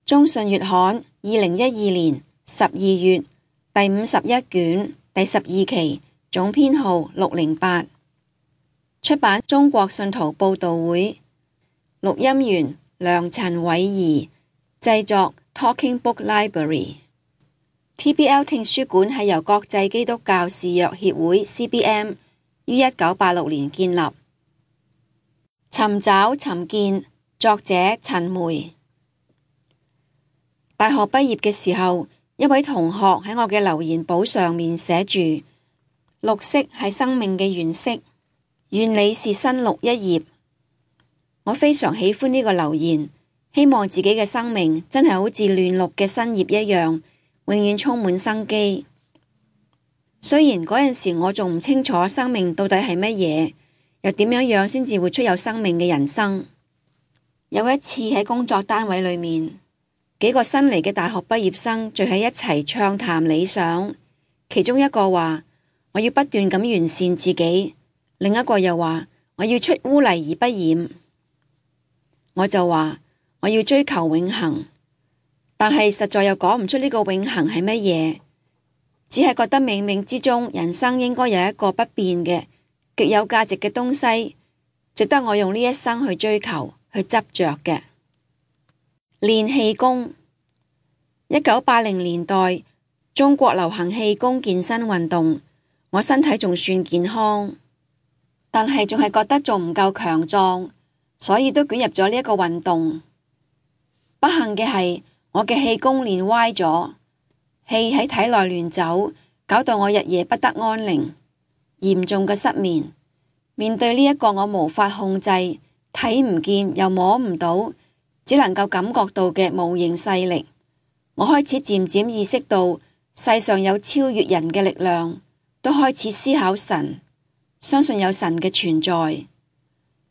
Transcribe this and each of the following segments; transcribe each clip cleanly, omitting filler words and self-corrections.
中信月刊2012年12月第51卷第12期總編號608，出版中國信徒報道會，錄音員梁陳偉儀，製作 Talking Book Library。TBL 聽書館係由國際基督教視約協會 CBM 於1986年建立。尋找尋見，作者陳梅。大學畢業嘅時候，一位同學喺我嘅留言簿上面寫住：綠色係生命嘅原色，願你是新綠一頁。我非常喜歡呢個留言，希望自己嘅生命真係好似嫩綠嘅新葉一樣，永遠充滿生機。雖然嗰陣時我仲唔清楚生命到底係乜嘢，又點樣先至會出有生命嘅人生。有一次喺工作單位裏面，幾個新嚟嘅大學畢業生聚喺一齊暢談理想，其中一個話我要不斷咁完善自己，另一個又話我要出污泥而不染。我就話我要追求永恆，但係實在又講唔出呢個永恆係乜嘢，只係覺得冥冥之中人生應該有一個不變嘅極有價值嘅東西，值得我用呢一生去追求去執着嘅。練氣功。1980年代中國流行氣功健身運動，我身體仲算健康，但係仲係覺得仲唔夠強壯，所以都捲入咗呢一個運動。不幸嘅係我嘅氣功練歪咗，氣喺體內亂走，搞到我日夜不得安寧，嚴重嘅失眠。面對呢一個我無法控制、睇唔見又摸唔到，只能夠感覺到嘅無形勢力，我開始漸漸意識到世上有超越人嘅力量，都開始思考神，相信有神嘅存在。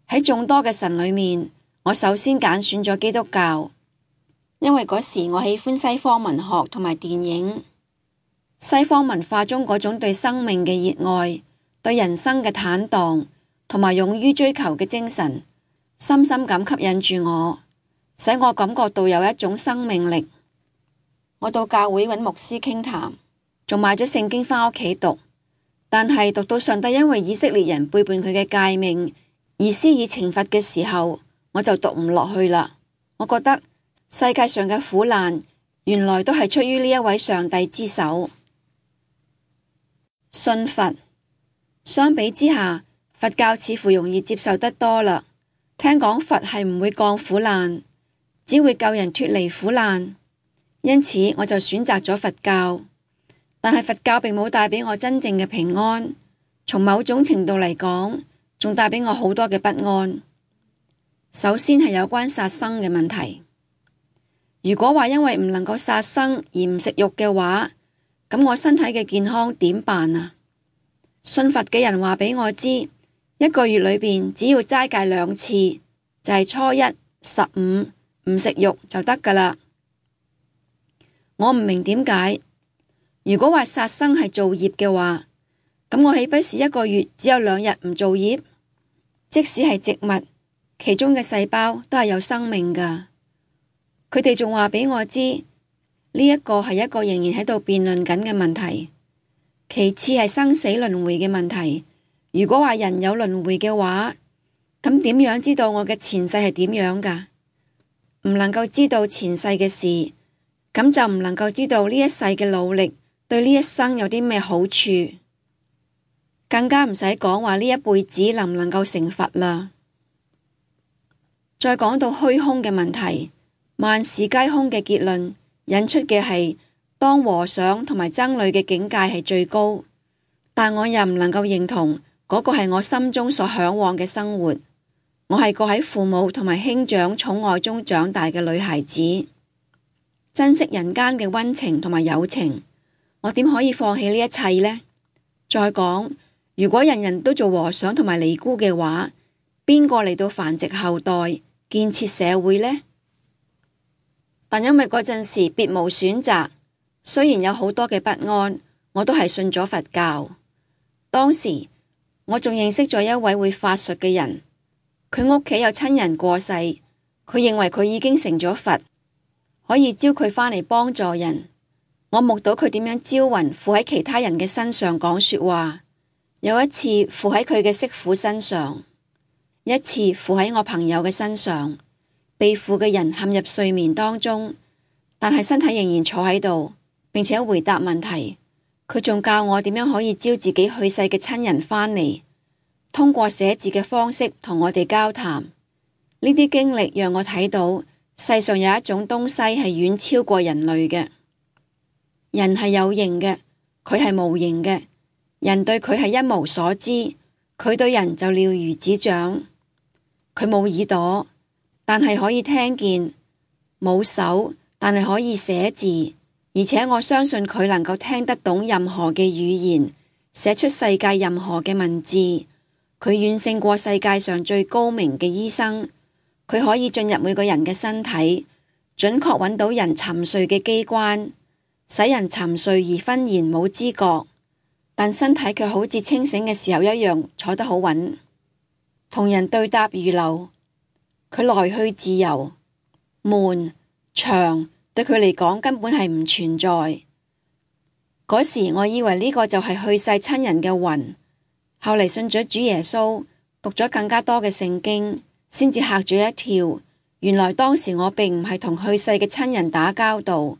喺眾多嘅神裏面，我首先揀選咗基督教，因為嗰時我喜歡西方文學同埋電影，西方文化中嗰種對生命嘅熱愛、對人生嘅坦蕩同埋勇於追求嘅精神，深深咁吸引住我，使我感覺到有一種生命力。我到教會揾牧師傾談，仲買咗聖經返屋企讀，但係讀到上帝因為以色列人背叛佢嘅誡命而施以懲罰嘅時候，我就讀唔落去啦。我覺得世界上嘅苦難原來都係出於呢一位上帝之手。信佛。相比之下，佛教似乎容易接受得多啦。聽講佛係唔會降苦難，只會救人脫離苦難，因此我就選擇咗佛教。但係佛教並冇帶俾我真正嘅平安，從某種程度嚟講，仲帶俾我好多嘅不安。首先係有關殺生嘅問題。如果話因為唔能夠殺生而唔食肉嘅話，咁我身體嘅健康點辦啊？信佛嘅人話俾我知，一個月裏邊只要齋戒2次，就係初一、15唔食肉就得噶啦。我唔明點解，如果話殺生係造業嘅話，咁我豈不是一個月只有2日唔造業？即使係植物，其中嘅細胞都係有生命噶。佢哋仲話俾我知，呢一個係一個仍然喺度辯論緊嘅問題。其次係生死輪迴嘅問題。如果話人有輪迴嘅話，咁點樣知道我嘅前世係點樣噶？唔能夠知道前世嘅事，咁就唔能夠知道呢一世嘅努力對呢一生有啲咩好處，更加唔使講話呢一輩子能唔能夠成佛啦。再講到虛空嘅問題，萬事皆空嘅結論引出嘅係，當和尚同埋僧侶嘅境界係最高，但我又唔能夠認同嗰個係我心中所向往嘅生活。我係個喺父母同埋兄長寵愛中長大嘅女孩子，珍惜人間嘅溫情同埋友情，我點可以放棄呢一切呢？再講，如果人人都做和尚同埋尼姑嘅話，邊個嚟到繁殖後代、建設社會呢？但因為嗰陣時別無選擇，雖然有好多嘅不安，我都係信咗佛教。當時我仲認識咗一位會法術嘅人，佢屋企有親人過世，佢認為佢已經成咗佛，可以招佢返嚟幫助人。我目睹佢點樣招魂附喺其他人嘅身上講說話，有一次附喺佢嘅媳婦身上，一次附喺我朋友嘅身上。被附嘅人陷入睡眠當中，但係身體仍然坐喺度，並且回答問題。佢仲教我點樣可以招自己去世嘅親人返嚟，通過寫字嘅方式同我哋交談。呢啲經歷讓我睇到世上有一種東西係遠超過人類嘅。人係有形嘅，佢係無形嘅。人對佢係一無所知，佢對人就了如指掌。佢冇耳朵，但係可以聽見；冇手，但係可以寫字。而且我相信佢能夠聽得懂任何嘅語言，寫出世界任何嘅文字。佢遠勝過世界上最高明嘅醫生。佢可以進入每個人嘅身體，準確揾到人沉睡嘅機關，使人沉睡而忽然冇知覺，但身體卻好似清醒嘅時候一樣坐得好穩，同人對答如流。佢來去自由，門牆對佢嚟講根本係唔存在。嗰時我以為呢個就係去世親人嘅魂，後嚟信咗主耶穌，讀咗更加多嘅聖經，先至嚇咗一跳。原來當時我並唔係同去世嘅親人打交道，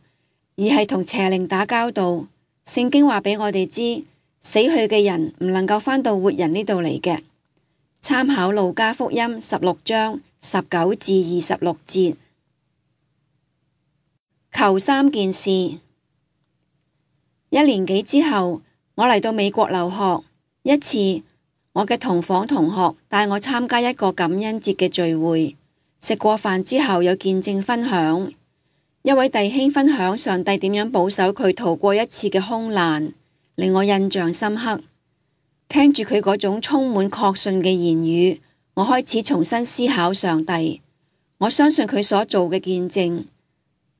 而係同邪靈打交道。聖經話俾我哋知，死去嘅人唔能夠返到活人呢度嚟嘅。參考路加福音16章19至26節。求3件事。1年幾之後，我嚟到美國留學。一次，我嘅同房同學帶我參加一個感恩節嘅聚會。食過飯之後有見證分享，一位弟兄分享上帝點樣保守佢逃過一次嘅空難，令我印象深刻。聽住佢嗰種充滿確信嘅言語，我開始重新思考上帝。我相信佢所做嘅見證，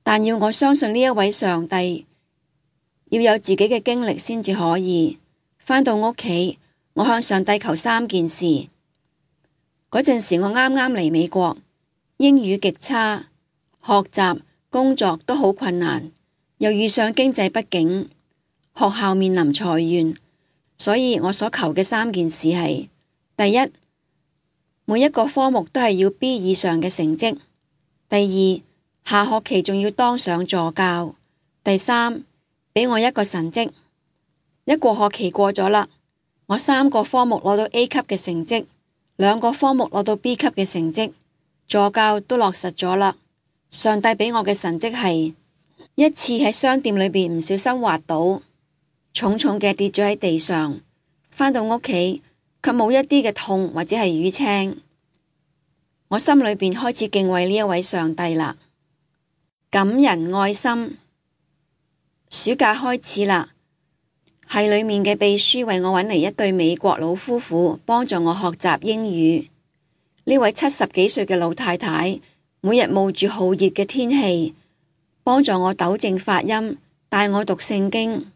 但要我相信呢一位上帝，要有自己嘅經歷先至可以。返到屋企，我向上帝求3件事。嗰陣時我啱啱嚟美國，英語極差，學習、工作都好困難，又遇上經濟不景，學校面臨裁員，所以我所求嘅3件事係：第一，每一個科目都係要 B 以上嘅成績；第二，下學期仲要當上助教；第三，俾我一個神蹟。1個學期過咗啦，我3個科目攞到 A 級嘅成績，2個科目攞到 B 級嘅成績。助教都落實咗啦。上帝俾我嘅神蹟係一次喺商店裏邊唔小心滑倒，重重嘅跌咗喺地上，返到屋企卻冇一啲嘅痛或者係淤青。我心裏邊開始敬畏呢一位上帝啦。感人愛心。暑假開始啦，系裏面嘅秘書為我揾嚟一對美國老夫婦，幫助我學習英語。呢位70幾歲嘅老太太，每日冒住酷熱嘅天氣，幫助我糾正發音，帶我讀聖經，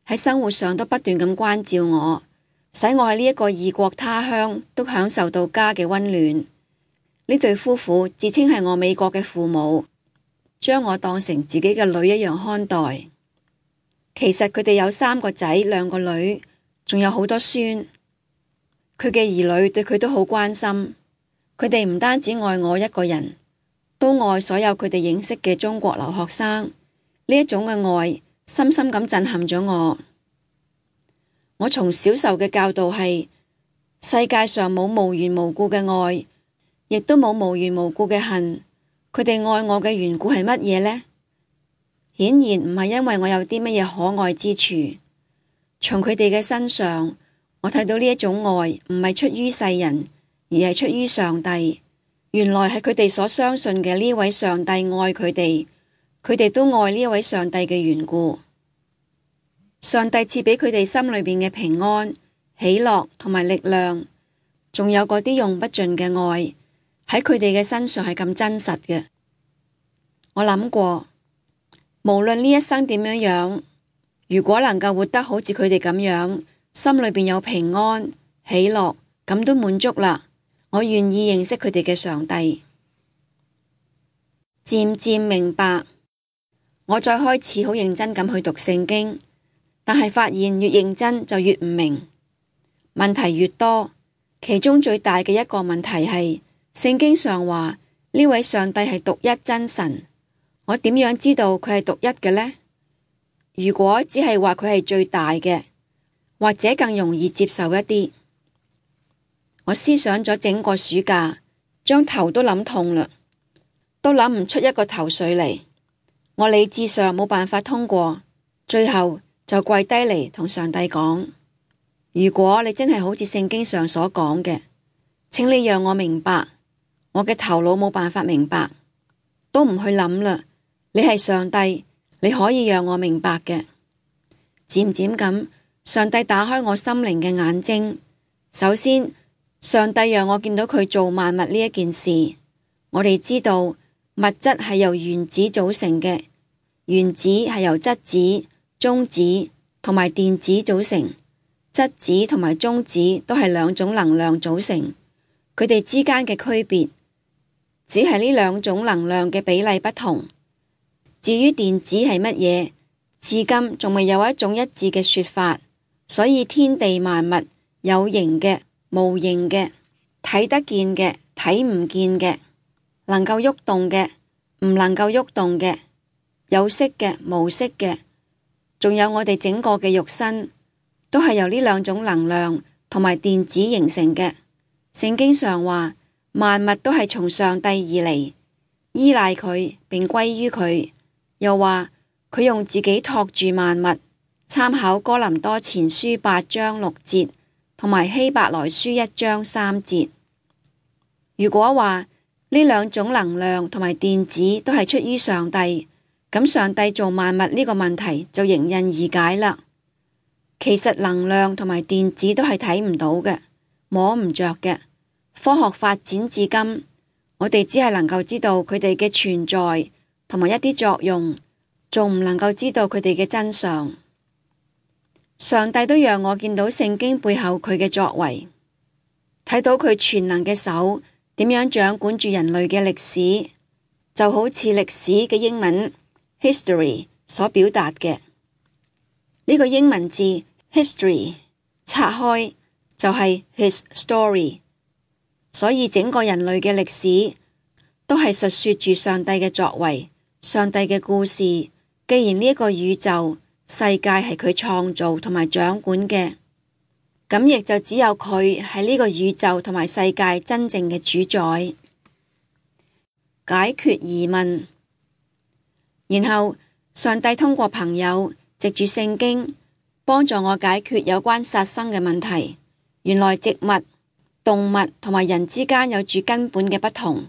喺生活上都不斷咁關照我，使我喺呢一個異國他鄉都享受到家嘅溫暖。呢對夫婦自稱係我美國嘅父母，將我當成自己嘅女一樣看待。其實佢哋有3個仔2個女，仲有好多孫。佢嘅兒女對佢都好關心。佢哋唔單止愛我一個人，都愛所有佢哋認識嘅中國留學生。呢一種嘅愛，深深咁震撼咗我。我從小受嘅教導係，世界上冇無緣無故嘅愛，亦都冇無緣無故嘅恨。佢哋愛我嘅緣故係乜嘢呢？顯然唔係因為我有啲乜嘢可愛之處。從佢哋嘅身上，我睇到呢一種愛唔係出於世人，而係出於上帝。原來係佢哋所相信嘅呢位上帝愛佢哋，佢哋都愛呢一位上帝嘅緣故。上帝賜俾佢哋心裏邊嘅平安、喜樂同埋力量，仲有嗰啲用不盡嘅愛，喺佢哋嘅身上係咁真實嘅。我諗過，無論呢一生點樣樣，如果能夠活得好似佢哋咁樣，心裏邊有平安、喜樂，咁都滿足啦。我願意認識佢哋嘅上帝。漸漸明白，我再開始好認真咁去讀聖經，但係發現越認真就越唔明，問題越多。其中最大嘅一個問題係，聖經上話呢位上帝係獨一真神，我點樣知道佢係獨一嘅呢？如果只係話佢係最大嘅，或者更容易接受一啲。我思想咗整個暑假，將頭都諗痛啦，都諗唔出一個頭緒嚟。我理智上冇辦法通過，最後就跪低嚟同上帝講：如果你真係好似聖經上所講嘅，請你讓我明白。我嘅頭腦冇辦法明白，都唔去諗啦。你係上帝，你可以讓我明白嘅。漸漸咁，上帝打開我心靈嘅眼睛。首先，上帝讓我見到佢做萬物呢一件事。我哋知道物質係由原子組成嘅，原子係由質子、中子同埋電子組成。質子同埋中子都係兩種能量組成，佢哋之間嘅區別只係呢兩種能量嘅比例不同。至於電子係乜嘢，至今仲未有一種一致嘅說法。所以天地萬物，有形嘅、無形嘅，睇得見嘅、睇唔見嘅，能夠喐動嘅、唔能夠喐動嘅，有色嘅、無色嘅，仲有我哋整個嘅肉身，都係由呢兩種能量同埋電子形成嘅。聖經上話，萬物都係從上帝而嚟，依賴佢並歸於佢。又話佢用自己托住萬物。參考哥林多前書8章6節同埋希伯來書1章3節。如果話呢兩種能量同埋電子都係出於上帝，咁上帝做萬物呢個問題就迎刃而解啦。其實能量同埋電子都係睇唔到嘅，摸唔着嘅。科學發展至今，我哋只係能夠知道佢哋嘅存在同埋一啲作用，仲唔能夠知道佢哋嘅真相。上帝都讓我見到聖經背後佢嘅作為，睇到佢全能嘅手點樣掌管住人類嘅歷史，就好似歷史嘅英文 history 所表達嘅呢個英文字 history 拆開就係 his story， 所以整個人類嘅歷史都係述說住上帝嘅作為，上帝嘅故事。既然呢一個宇宙世界係佢創造同埋掌管嘅，咁亦就只有佢係呢個宇宙同埋世界真正嘅主宰。解決疑問，然後上帝通過朋友藉住聖經幫助我解決有關殺生嘅問題。原來植物、動物同埋人之間有住根本嘅不同。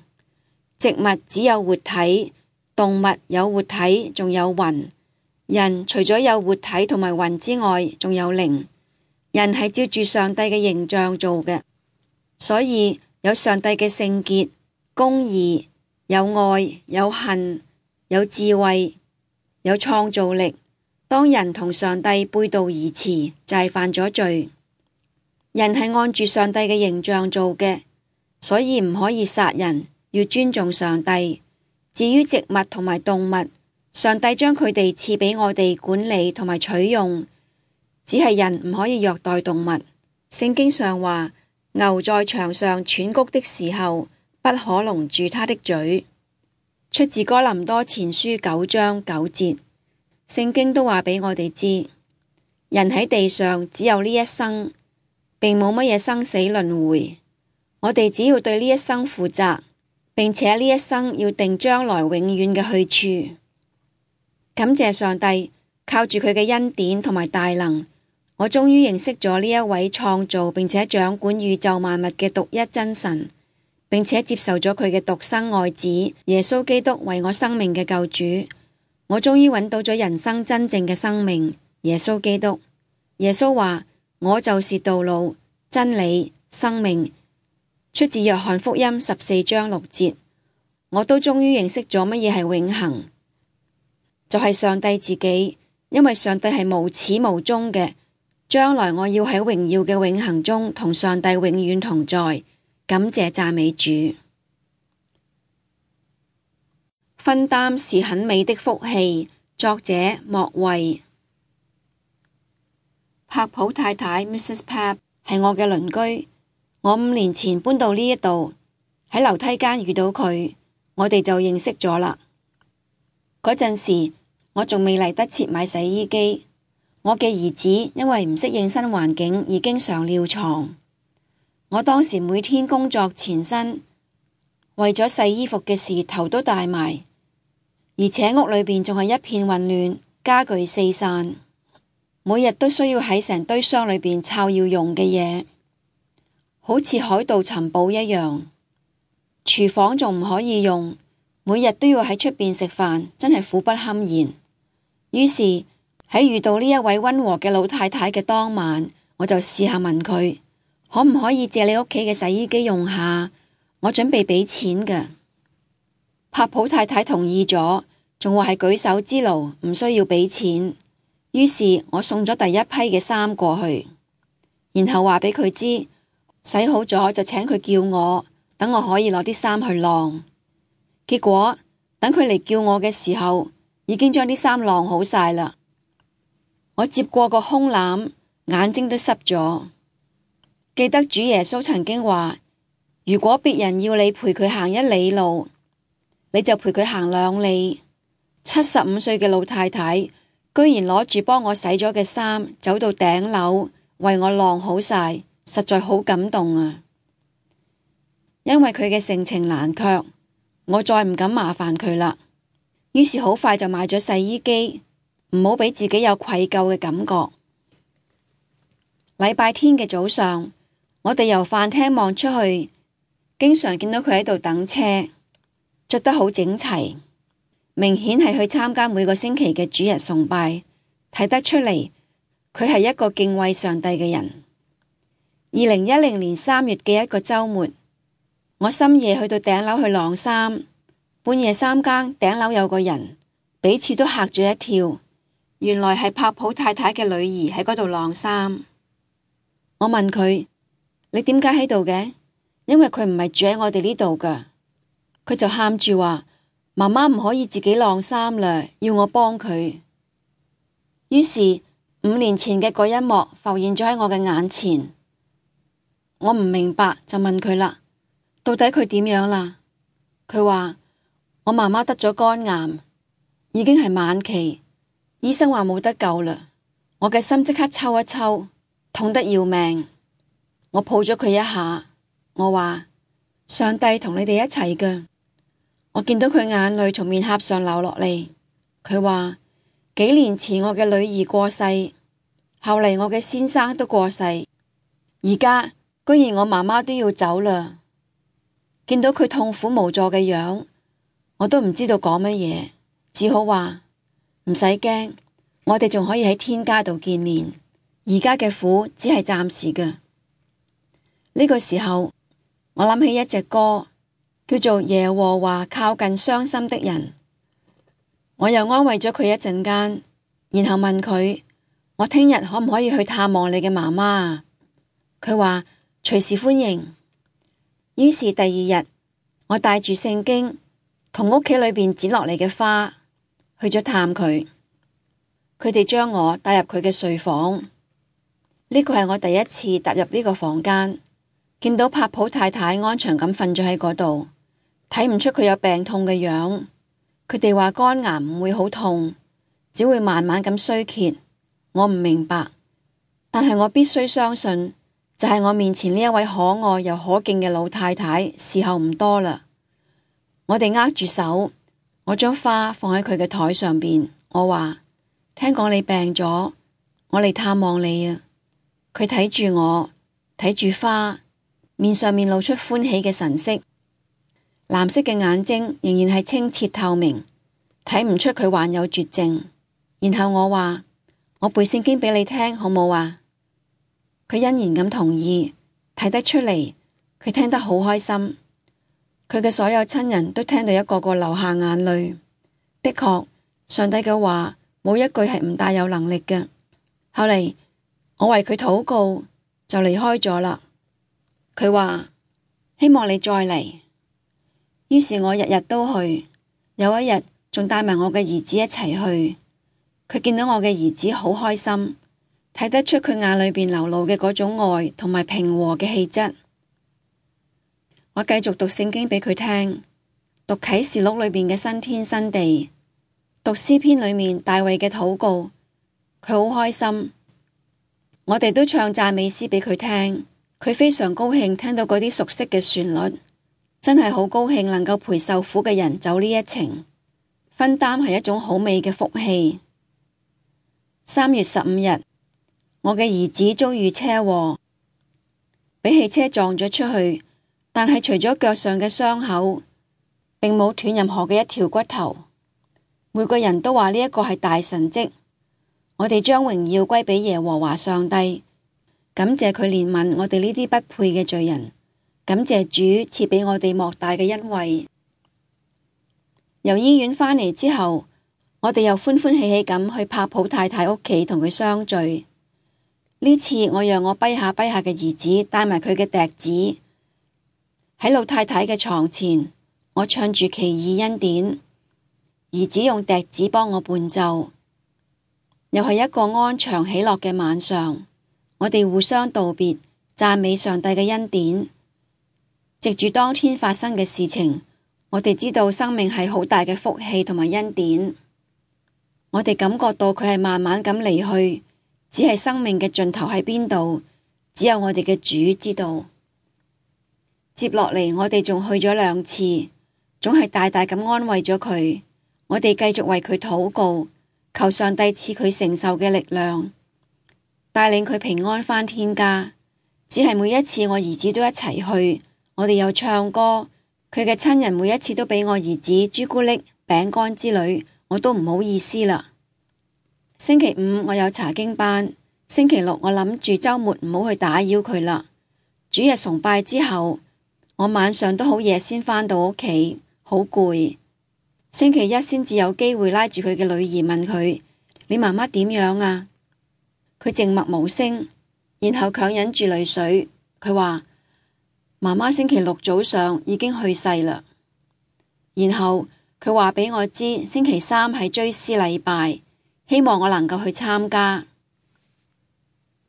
植物只有活體，動物有活體，仲有魂。人除咗有活體同埋魂之外，仲有靈。人係照住上帝嘅形象做嘅，所以有上帝嘅聖潔、公義，有愛、有恨、有智慧、有創造力。當人同上帝背道而馳，就係犯咗罪。人係按住上帝嘅形象做嘅，所以唔可以殺人，要尊重上帝。至於植物同埋動物，上帝將佢哋賜俾我哋管理同埋取用，只係人唔可以虐待動物。聖經上話，牛在場上喘谷的時候，不可籠住它的嘴。出自哥林多前書9章9節。聖經都話俾我哋知，人喺地上只有呢一生，並冇乜嘢生死輪迴。我哋只要對呢一生負責，並且呢一生要定將來永遠嘅去處。感謝上帝，靠住佢嘅恩典同埋大能，我終於認識咗呢一位創造並且掌管宇宙萬物嘅獨一真神，並且接受咗佢嘅獨生愛子耶穌基督為我生命嘅救主。我終於揾到咗人生真正嘅生命，耶穌基督。耶穌話：我就是道路、真理、生命。出自約翰福音14章6節。我都終於認識咗乜嘢係永恆。就係上帝自己，因為上帝係無始無終嘅，將來我要喺榮耀嘅永恆中同上帝永遠同在。感謝讚美主。分擔是很美的福氣，作者莫慧。柏普太太 Mrs. Pap 係我嘅鄰居，我5年前搬到呢一度，喺樓梯間遇到佢，我哋就認識咗啦。嗰陣時我仲未嚟得切買洗衣機，我嘅兒子因為唔適應新環境而經常尿床。我當時每天工作纏身，為咗洗衣服嘅事頭都大埋，而且屋裏邊仲係一片混亂，家具四散，每日都需要喺成堆箱裏邊摷要用嘅嘢，好似海盜尋寶一樣。廚房仲唔可以用，每日都要喺出邊食飯，真係苦不堪言。於是喺遇到呢一位溫和嘅老太太嘅當晚，我就試下問佢，可唔可以借你屋企嘅洗衣機用下？我準備俾錢㗎。柏普太太同意咗，仲話係舉手之勞，唔需要俾錢。於是我送咗第一批嘅衫過去，然後話俾佢知，洗好咗就請佢叫我，等我可以攞啲衫去晾。結果等佢嚟叫我嘅時候，已經將啲衫晾好晒啦。我接過個胸籃，眼睛都濕咗。記得主耶穌曾經話，如果別人要你陪佢行1里路，你就陪佢行2里。75歲嘅老太太居然攞住幫我洗咗嘅衫走到頂樓為我晾好晒，實在好感動啊！因為佢嘅盛情難卻，我再唔敢麻煩佢啦。於是好快就買咗洗衣機，唔好俾自己有愧疚嘅感覺。禮拜天嘅早上，我哋由飯廳望出去，經常見到佢喺度等車，着得好整齊，明顯係去參加每個星期嘅主日崇拜，睇得出嚟佢係一個敬畏上帝嘅人。2010年3月嘅一個週末，我深夜去到頂樓去晾衫，半夜3更頂樓有個人，彼此都嚇咗一跳，原來係柏普太太嘅女兒喺嗰度晾衫。我問佢，你點解喺度嘅？因為佢唔係住喺我哋呢度㗎。佢就喊住話，媽媽唔可以自己晾衫啦，要我幫佢。於是5年前嘅嗰一幕浮現咗喺我嘅眼前。我唔明白，就問佢啦，到底佢點樣啦？佢話，我媽媽得咗肝癌，已經係晚期，醫生話冇得救啦。我嘅心即刻抽一抽，痛得要命。我抱咗佢一下，我話，上帝同你哋一齊㗎。我見到佢眼淚從面頰上流落嚟。佢話，幾年前我嘅女兒過世，後嚟我嘅先生都過世，而家居然我媽媽都要走啦。見到佢痛苦無助嘅樣，我都唔知道講乜嘢，只好話唔使驚，我哋仲可以喺天家度見面。而家嘅苦只係暫時嘅。呢個時候，我諗起一隻歌，叫做《耶和華靠近傷心的人》。我又安慰咗佢一陣間，然後問佢，我聽日可唔可以去探望你嘅媽媽啊？佢話隨時歡迎。於是第2日，我帶住聖經同屋企裏邊剪落嚟嘅花去咗探佢。佢哋將我帶入佢嘅睡房。呢個係我第一次踏入呢個房間，見到柏普太太安詳咁瞓咗喺嗰度，睇唔出佢有病痛嘅樣。佢哋話肝癌唔會好痛，只會慢慢咁衰竭。我唔明白，但係我必須相信，就係我面前呢一位可愛又可敬嘅老太太，時候唔多啦。我哋握住手，我將花放喺佢嘅台上邊。我話，聽講你病咗，我嚟探望你啊。佢睇住我，睇住花，面上面露出歡喜嘅神色，藍色嘅眼睛仍然係清澈透明，睇唔出佢患有絕症。然後我話，我背聖經俾你聽好冇啊？佢欣然咁同意，睇得出嚟佢聽得好開心。佢嘅所有親人都聽到一個個流下眼淚。的確，上帝嘅話冇一句係唔大有能力嘅。後嚟我為佢禱告，就離開咗啦。佢話希望你再嚟。於是我日日都去，有一日仲帶埋我嘅兒子一齊去。佢見到我嘅兒子好開心，睇得出佢眼裏邊流露嘅嗰種愛同埋平和嘅氣質。我繼續讀聖經俾佢聽，讀啟示錄裏邊嘅新天新地，讀詩篇裏面大衛嘅禱告，佢好開心。我哋都唱讚美詩俾佢聽，佢非常高興聽到嗰啲熟悉嘅旋律，真係好高興能夠陪受苦嘅人走呢一程，分擔係一種好美嘅福氣。3月15日，我嘅兒子遭遇車禍，俾汽車撞咗出去，但係除咗腳上嘅傷口，並冇斷任何嘅一條骨頭。每個人都話呢一個係大神蹟，我哋將榮耀歸俾耶和華上帝，感謝佢憐憫我哋呢啲不配嘅罪人，感謝主賜俾我哋莫大嘅恩惠。由醫院返嚟之後，我哋又歡歡喜喜咁去柏普太太屋企同佢相聚。呢次我讓我跛下嘅兒子帶埋佢嘅笛子，喺老太太嘅床前，我唱住奇異恩典，兒子用笛子幫我伴奏。又係一個安詳喜樂嘅晚上，我哋互相道別，讚美上帝嘅恩典。藉住當天發生嘅事情，我哋知道生命係好大嘅福氣同埋恩典。我哋感覺到佢係慢慢咁離去，只係生命嘅盡頭喺邊度，只有我哋嘅主知道。接落嚟，我哋仲去咗2次，總係大大咁安慰咗佢。我哋繼續為佢禱告，求上帝賜佢承受嘅力量，帶領佢平安返天家。只係每一次我兒子都一齊去，我哋又唱歌，佢嘅親人每一次都俾我兒子朱古力、餅乾之類，我都唔好意思啦。星期5我有查經班，星期6我諗住周末唔好去打擾佢啦。主日崇拜之後，我晚上都好夜先返到屋企，好攰。星期1先至有機會拉住佢嘅女兒問佢：你媽媽點樣啊？佢靜默無聲，然後強忍住淚水，佢話媽媽星期6早上已經去世啦。然後佢話俾我知星期3係追思禮拜，希望我能夠去參加。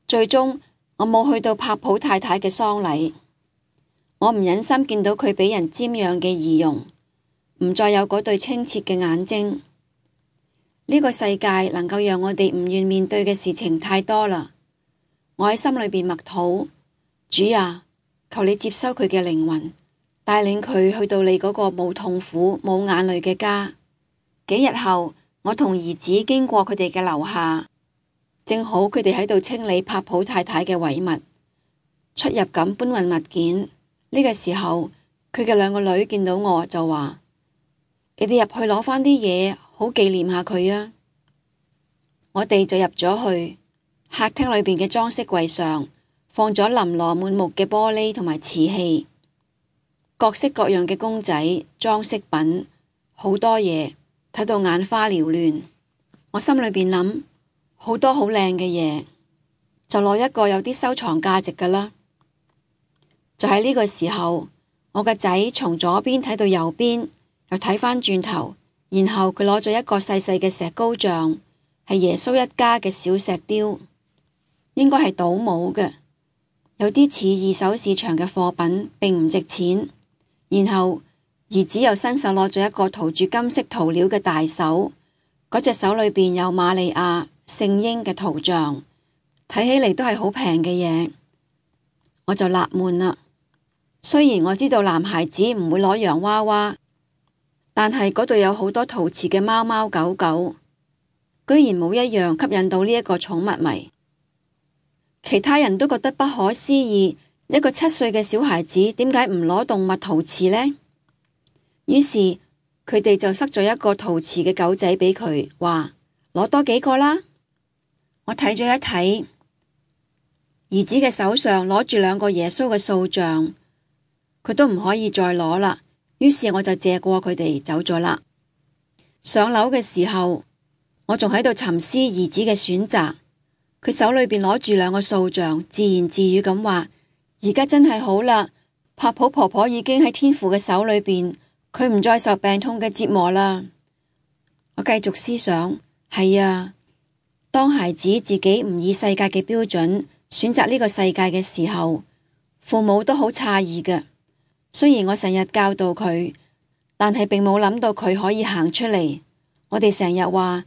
最終我冇去到柏普太太嘅喪禮，我唔忍心見到佢俾人瞻仰嘅儀容，唔再有嗰對清澈嘅眼睛。呢個世界能夠讓我哋唔願面對嘅事情太多啦。我喺心裏邊默禱：主啊，求你接收佢嘅靈魂，帶領佢去到你嗰個冇痛苦、冇眼淚嘅家。幾日後，我同兒子經過佢哋嘅樓下，正好佢哋喺度清理柏普太太嘅遺物，出入咁搬運物件。呢個時候，佢嘅2個女見到我就話：你哋入去攞返啲嘢，好紀念下佢啊！我哋就入咗去，客廳裏邊嘅裝飾櫃上放咗琳琅滿目嘅玻璃同埋瓷器，各式各樣嘅公仔、裝飾品，好多嘢，睇到眼花繚亂。我心裏邊諗，好多好靚嘅嘢，就攞一個有啲收藏價值㗎啦。就喺呢個時候，我個仔從左邊睇到右邊，又睇返轉頭，然後佢攞咗一個細細嘅石膏像，係耶穌一家嘅小石雕，應該係倒模嘅，有啲似二手市場嘅貨品，並唔值錢。然後兒子又伸手攞咗一個塗住金色塗料嘅大手，嗰隻手裏邊有瑪利亞、聖嬰嘅圖像，睇起嚟都係好平嘅嘢。我就納悶啦。雖然我知道男孩子唔會攞洋娃娃，但係嗰度有好多陶瓷嘅貓貓狗狗，居然冇一樣吸引到呢一個寵物迷。其他人都覺得不可思議，一個7歲嘅小孩子點解唔攞動物陶瓷呢？於是佢哋就塞咗一個陶瓷嘅狗仔俾佢，話攞多幾個啦。我睇咗一睇，兒子嘅手上攞住2個耶穌嘅塑像，佢都唔可以再攞啦。於是我就借過佢哋走咗啦。上樓嘅時候，我仲喺度沉思兒子嘅選擇。佢手裏邊攞住2個塑像，自言自語咁話：而家真係好啦，柏普婆婆已經喺天父嘅手裏邊，佢唔再受病痛嘅折磨啦。我繼續思想，係啊，當孩子自己唔以世界嘅標準選擇呢個世界嘅時候，父母都好詫異嘅。雖然我成日教導佢，但係並冇諗到佢可以行出嚟。我哋成日話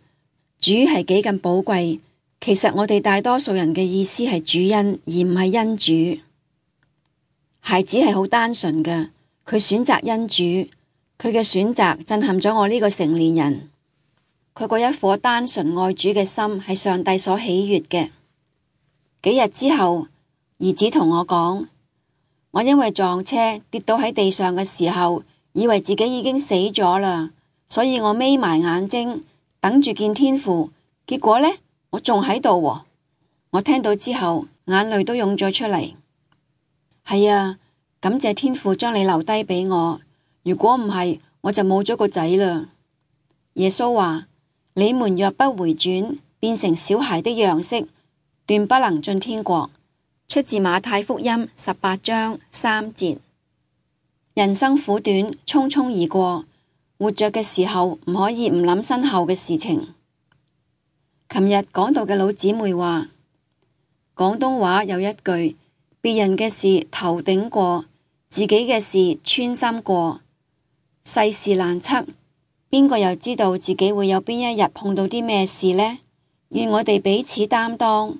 主係幾咁寶貴，其實我哋大多數人嘅意思係主恩，而唔係恩主。孩子係好單純嘅，佢選擇恩主，佢嘅選擇震撼咗我呢個成年人。佢嗰一顆單純愛主嘅心係上帝所喜悅嘅。幾日之後，兒子同我講，我因為撞車跌倒喺地上嘅時候，以為自己已經死咗啦，所以我眯埋眼睛等住見天父。結果呢，我仲喺度喎。我聽到之後，眼淚都湧咗出嚟。係啊，感謝天父將你留低俾我，如果唔係，我就冇咗個仔啦。耶穌話：你們若不回轉，變成小孩的樣式，斷不能進天國。出自馬太福音18章3節。人生苦短，匆匆而過，活着嘅時候唔可以唔諗身後嘅事情。琴日講到嘅老姊妹話，廣東話有一句，別人嘅事頭頂過，自己嘅事穿心過。世事難測，邊個又知道自己會有邊一日碰到啲咩事呢？願我哋彼此擔當，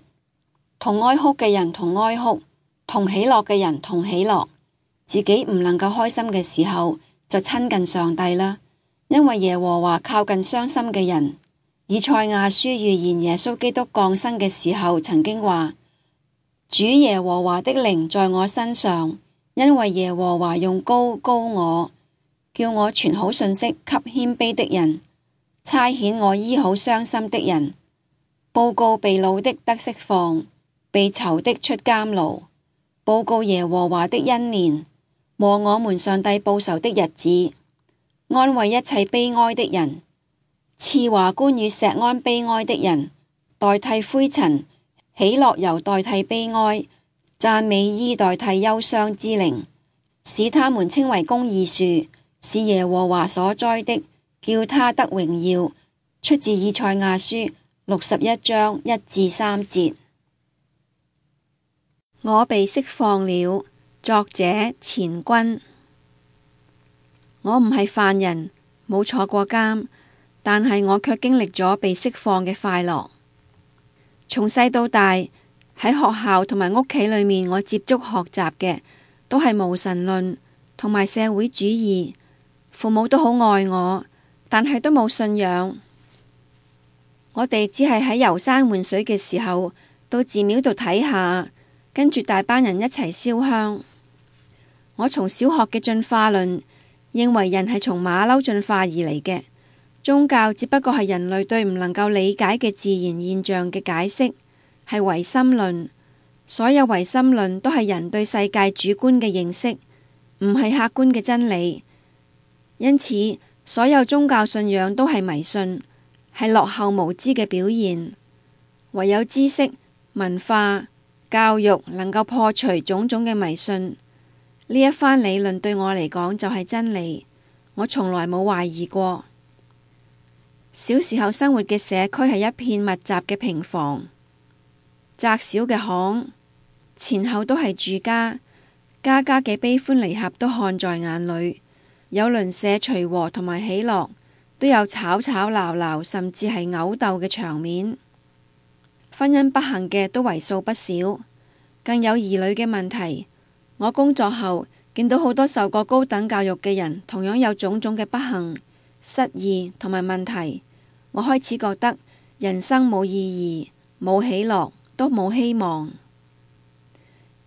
同哀哭嘅人同哀哭，同喜樂嘅人同喜樂。自己唔能夠開心嘅時候，就親近上帝啦，因為耶和華靠近傷心嘅人。以賽亞書預言耶穌基督降生嘅時候，曾經話：主耶和華的靈在我身上，因為耶和華用膏膏我，叫我傳好信息給謙卑的人，差遣我醫好傷心的人，報告被擄的得釋放，被囚的出監牢，報告耶和華的恩年和我們上帝報仇的日子，安慰一切悲哀的人，賜華冠與錫安悲哀的人，代替灰塵，喜樂油代替悲哀，讚美衣代替憂傷之靈，使他們稱為公義樹，是耶和華所栽的，叫他得榮耀。出自以賽亞書61章1至3節。我被釋放了。作者錢君。我唔係犯人，冇坐過監，但係我卻經歷咗被釋放嘅快樂。從細到大，喺學校同埋屋企裏面，我接觸學習嘅都係無神論同埋社會主義。父母都好愛我，但係都冇信仰。我哋只係喺遊山玩水嘅時候，到寺廟度睇下，跟住大班人一齊燒香。我從小學嘅進化論認為人係從馬騮進化而嚟嘅，宗教只不過係人類對唔能夠理解嘅自然現象嘅解釋，係唯心論。所有唯心論都係人對世界主觀嘅認識，唔係客觀嘅真理。因此，所有宗教信仰都係迷信，係落後無知嘅表現。唯有知識、文化、教育能夠破除種種嘅迷信。呢一番理論對我嚟講就係真理，我從來冇懷疑過。小時候生活嘅社區係一片密集嘅平房，窄小嘅巷，前後都係住家，家家嘅悲歡離合都看在眼裏，有鄰舍隨和同埋喜樂，都有吵吵鬧鬧，甚至係毆鬥嘅場面。婚姻不幸嘅都為數不少，更有兒女嘅問題。我工作後見到好多受過高等教育嘅人，同樣有種種嘅不幸、失意同埋問題。我開始覺得人生冇意義，冇喜樂，都冇希望。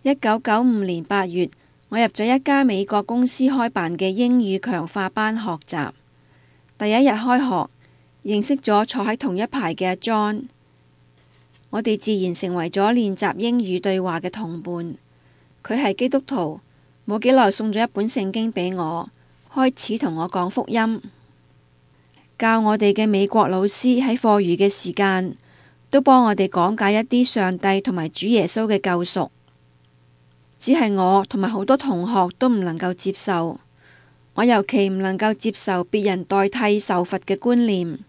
1995年8月，我入咗一家美國公司開辦嘅英語強化班學習。第一日開學，認識咗坐喺同一排嘅阿 John， 我哋自然成為咗練習英語對話嘅同伴。佢係基督徒，冇幾耐送咗一本聖經俾我，開始同我講福音。教我哋嘅美國老師喺課餘嘅時間，都幫我哋講解一啲上帝同埋主耶穌嘅救贖。只係我同埋好多同學都唔能夠接受，我尤其唔能夠接受別人代替受罰嘅觀念。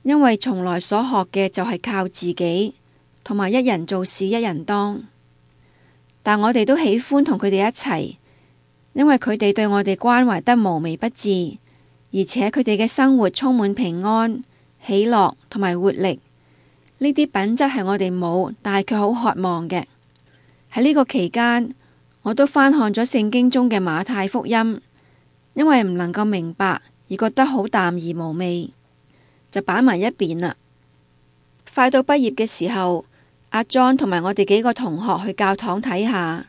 因為從來所學嘅就係靠自己，同埋一人做事一人當。但我哋都喜歡同佢哋一齊，因為佢哋對我哋關懷得無微不至，而且佢哋嘅生活充滿平安、喜樂同埋活力。呢啲品質係我哋冇，但係卻好渴望嘅。喺呢個期間，我都翻看咗聖經中嘅馬太福音，因為唔能夠明白而覺得好淡而無味，就擺埋一邊啦。快到畢業嘅時候，阿 John 同埋我哋幾個同學去教堂睇下。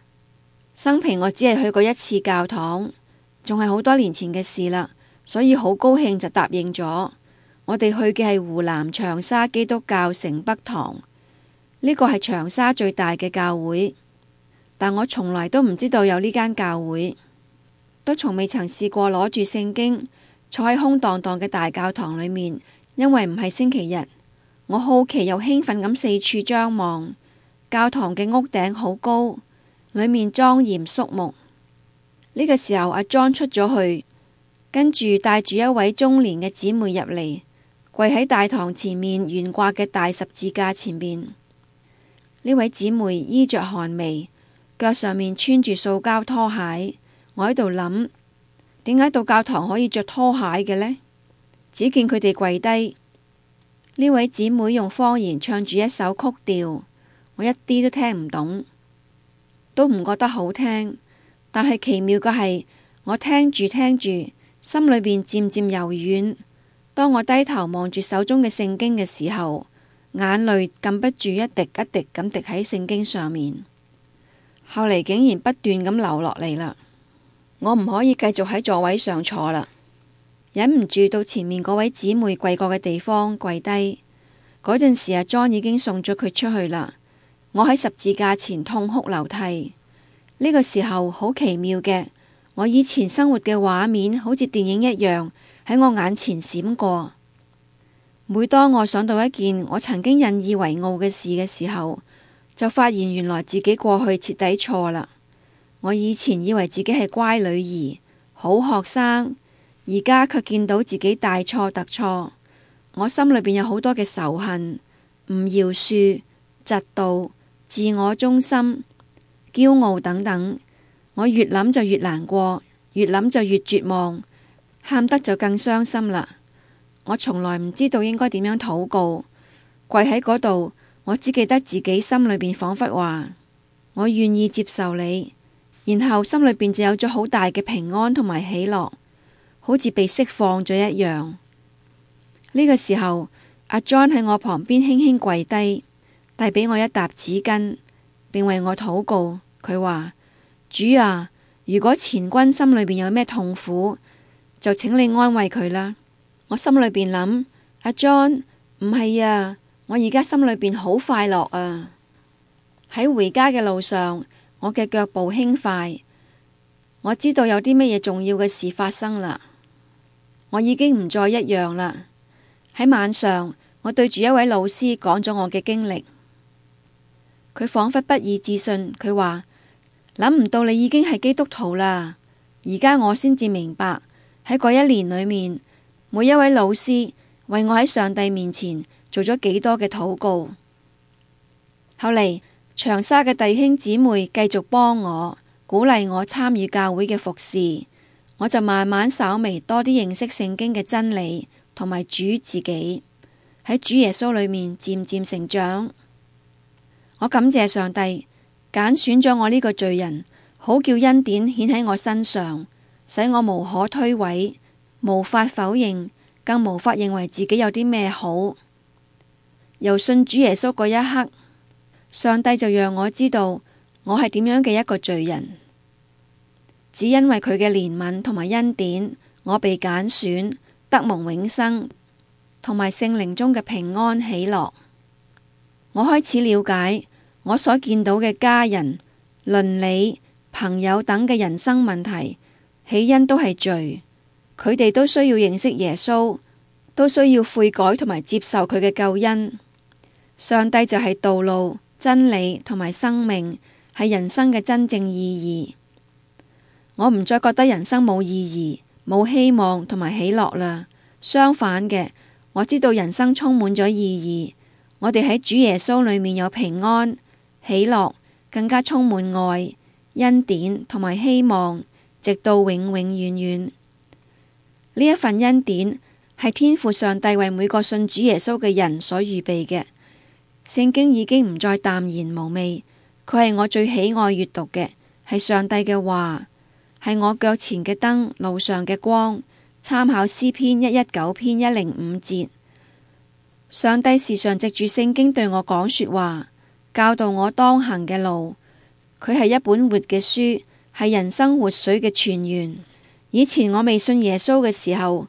生平我只係去過一次教堂，仲係好多年前嘅事啦，所以好高興就答應咗。我哋去嘅係湖南長沙基督教城北堂，呢個係長沙最大嘅教會，但我從來都唔知道有呢間教會，都從未曾試過攞住聖經坐喺空蕩蕩嘅大教堂裏面，因為唔係星期日。我好奇又興奮咁四處張望，教堂嘅屋頂好高，裏面莊嚴肅穆。呢個時候阿 John 出咗去，跟住帶住一位中年嘅姊妹入嚟，跪喺大堂前面懸掛嘅大十字架前面。呢位姊妹衣着寒微，腳上面穿住塑膠拖鞋。我喺度諗，點解到教堂可以着拖鞋嘅呢？只見佢哋跪低。呢位姊妹用方言唱住一首曲調，我一啲都聽唔懂，都唔覺得好聽。但係奇妙嘅係，我聽住聽住，心裏邊漸漸柔軟。當我低頭望住手中嘅聖經嘅時候，眼淚禁不住一滴一滴咁滴喺聖經上面。後嚟竟然不斷咁流落嚟啦。我唔可以繼續喺座位上坐啦。忍唔住到前面嗰位姊妹跪過嘅地方跪低。嗰陣時阿 John 已經送咗佢出去啦。我喺十字架前痛哭流涕。呢個時候好奇妙嘅，我以前生活嘅畫面好似電影一樣喺我眼前閃過。每當我想到一件我曾經引以為傲嘅事嘅時候，就發現原來自己過去徹底錯啦。我以前以為自己係乖女兒、好學生，而家卻見到自己大錯特錯。我心裏邊有好多嘅仇恨、唔饒恕、嫉妒、自我中心、驕傲等等。我越諗就越難過，越諗就越絕望，喊得就更傷心啦。我從來唔知道應該點樣禱告，跪喺嗰度，我只記得自己心裏邊仿佛話我願意接受你，然後心裏邊就有咗好大嘅平安同埋喜樂，好似被釋放咗一樣。呢個時候，阿 John 喺我旁邊輕輕跪低，遞俾我一沓紙巾，並為我禱告。佢話：主啊，如果前君心裏邊有咩痛苦，就請你安慰佢啦。我心裏邊諗，阿 John， 唔係啊，我而家心裏邊好快樂啊。喺回家嘅路上，我嘅腳步輕快，我知道有啲乜嘢重要嘅事發生啦。我已經唔再一樣啦。喺晚上，我對住一位老師講咗我嘅經歷，佢仿佛不以置信，佢話：諗唔到你已經係基督徒啦。而家我先至明白，喺嗰一年裏面，每一位老師為我喺上帝面前做咗幾多嘅禱告。後嚟長沙嘅弟兄姊妹繼續幫我，鼓勵我參與教會嘅服侍，我就慢慢稍微多啲認識聖經嘅真理，同埋主自己，喺主耶穌裏面漸漸成長。我感謝上帝揀選咗我呢個罪人，好叫恩典顯喺我身上，使我無可推諉，無法否認，更無法認為自己有啲咩好。由信主耶穌嗰一刻，上帝就讓我知道我係點樣嘅一個罪人。只因為佢嘅憐憫同埋恩典，我被揀選，得蒙永生，同埋聖靈中嘅平安喜樂。我開始了解我所見到嘅家人、鄰里、朋友等嘅人生問題，起因都係罪。佢哋都需要認識耶穌，都需要悔改同埋接受佢嘅救恩。上帝就係道路、真理同埋生命，係人生嘅真正意義。我唔再覺得人生冇意義、冇希望同埋喜樂啦。相反嘅，我知道人生充滿咗意義，我哋喺主耶穌裏面有平安、喜樂，更加充滿愛、恩典同埋希望，直到永永遠遠。呢一份恩典係天父上帝為每個信主耶穌嘅人所預備嘅。聖經已經唔再淡然無味，佢係我最喜愛閱讀嘅，係上帝嘅話，係我腳前嘅燈，路上嘅光。參考詩篇119篇105節，上帝時常藉住聖經對我講說話，教導我當行嘅路。佢係一本活嘅書，係人生活水嘅泉源。以前我未信耶穌嘅時候，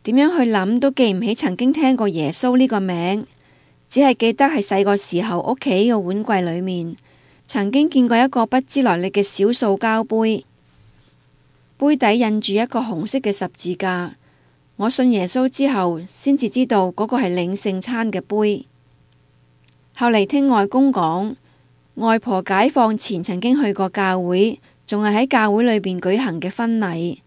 點樣去諗都記唔起曾經聽過耶穌呢個名，只係記得係細個時候屋企嘅碗櫃裏面曾經見過一個不知來歷嘅小塑膠杯。杯底印住一個紅色嘅十字架，我信耶穌之後，先至知道嗰個係領聖餐嘅杯。後嚟聽外公講，外婆解放前曾經去過教會，仲係喺教會裏邊舉行嘅婚禮。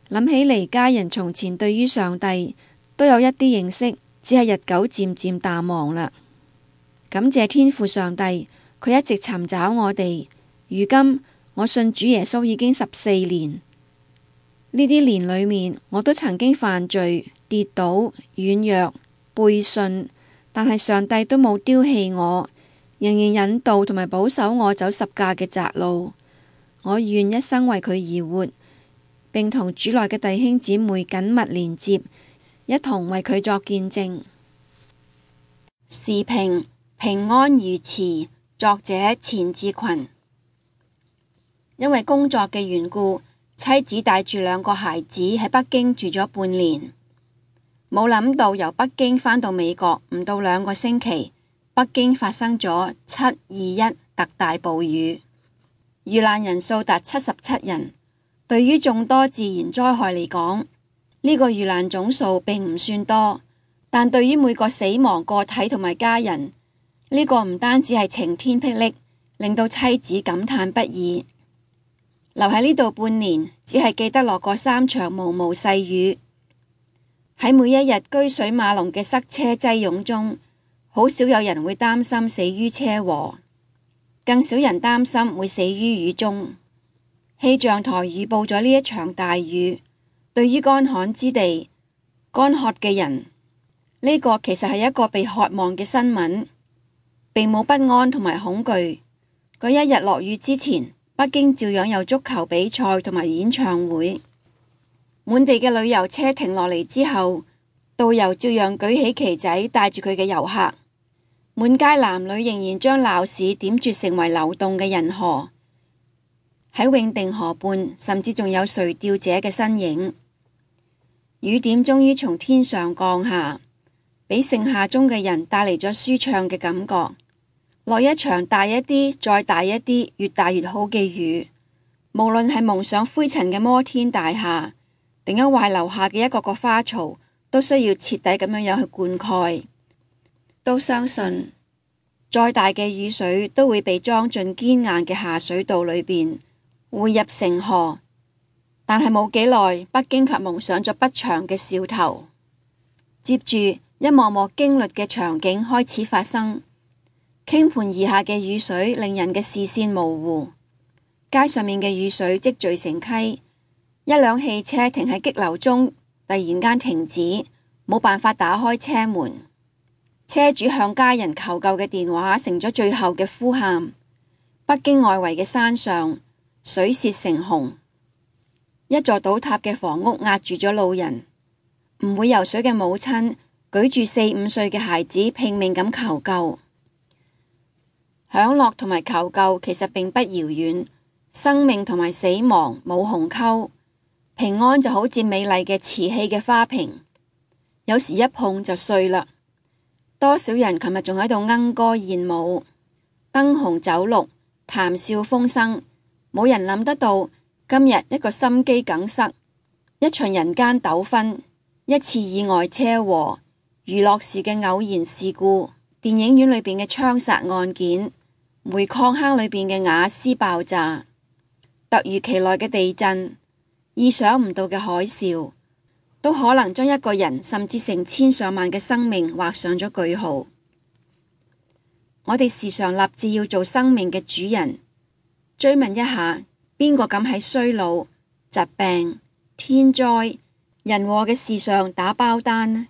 諗起嚟，家人從前對於上帝都有一啲認識，只係日久漸漸淡忘啦。感謝天父上帝，佢一直尋找我哋，如今我信主耶穌已經14年，呢啲年裏面我都曾經犯罪、跌倒、軟弱、背信，但係上帝都冇丟棄我，仍然引導同埋保守我走十架嘅窄路。我願一生為佢而活，並同主內嘅弟兄姊妹緊密連接，一同為佢作見證。時評：平安如此。作者錢志群。因為工作嘅緣故，妻子帶住2個孩子喺北京住咗半年，冇諗到由北京返到美國唔到2個星期，北京發生咗7.21特大暴雨，遇難人數達77人。對於眾多自然災害嚟講，呢個遇難總數並唔算多，但對於每個死亡個體同埋家人，呢個唔單止係晴天霹靂，令到妻子感嘆不已。留喺呢度半年，只係記得落過3場毛毛細雨。喺每一日車水馬龍嘅塞車擠擁中，好少有人會擔心死於車禍，更少人擔心會死於雨中。氣象台預報咗呢一場大雨，對於乾旱之地、乾渴嘅人，呢個其實係一個被渴望嘅新聞，並冇不安同埋恐懼。嗰一日落雨之前，北京照樣有足球比賽同埋演唱會。滿地嘅旅遊車停落嚟之後，導遊照樣舉起旗仔帶住佢嘅遊客。滿街男女仍然將鬧市點綴成為流動嘅人河。喺永定河畔，甚至仲有垂釣者嘅身影。雨點終於從天上降下，俾盛夏中嘅人帶嚟咗舒暢嘅感覺。落一場大一啲、再大一啲、越大越好嘅雨，無論係蒙上灰塵嘅摩天大廈，定抑或係樓下嘅一個個花槽，都需要徹底咁樣去灌溉。都相信，再大嘅雨水都會被裝進堅硬嘅下水道裏邊，匯入成河。但係冇幾耐，北京卻蒙上咗不祥嘅兆頭。接住一幕幕驚慄嘅場景開始發生。傾盆而下嘅雨水令人嘅視線模糊，街上面嘅雨水積聚成溪，一輛汽車停喺激流中，突然間停止，冇辦法打開車門。車主向家人求救嘅電話成咗最後嘅呼喊。北京外圍嘅山上，水泄成洪，一座倒塌嘅房屋壓住咗路人。唔會游水嘅母親舉住4、5歲嘅孩子拼命咁求救。享樂同埋求救其實並不遙遠，生命同埋死亡冇鴻溝，平安就好似美麗嘅瓷器嘅花瓶，有時一碰就碎啦。多少人琴日仲喺度鶯歌燕舞，燈紅酒綠，談笑風生，冇人諗得到今日一個心肌梗塞，一場人間糾紛，一次意外車禍，娛樂時嘅偶然事故，電影院裏邊嘅槍殺案件，煤礦坑裏邊嘅瓦斯爆炸，突如其來嘅地震，意想唔到嘅海嘯，都可能將一個人甚至成千上萬嘅生命畫上咗句號。我哋時常立志要做生命嘅主人，追問一下，邊個敢喺衰老、疾病、天災、人禍嘅事上打包單呢？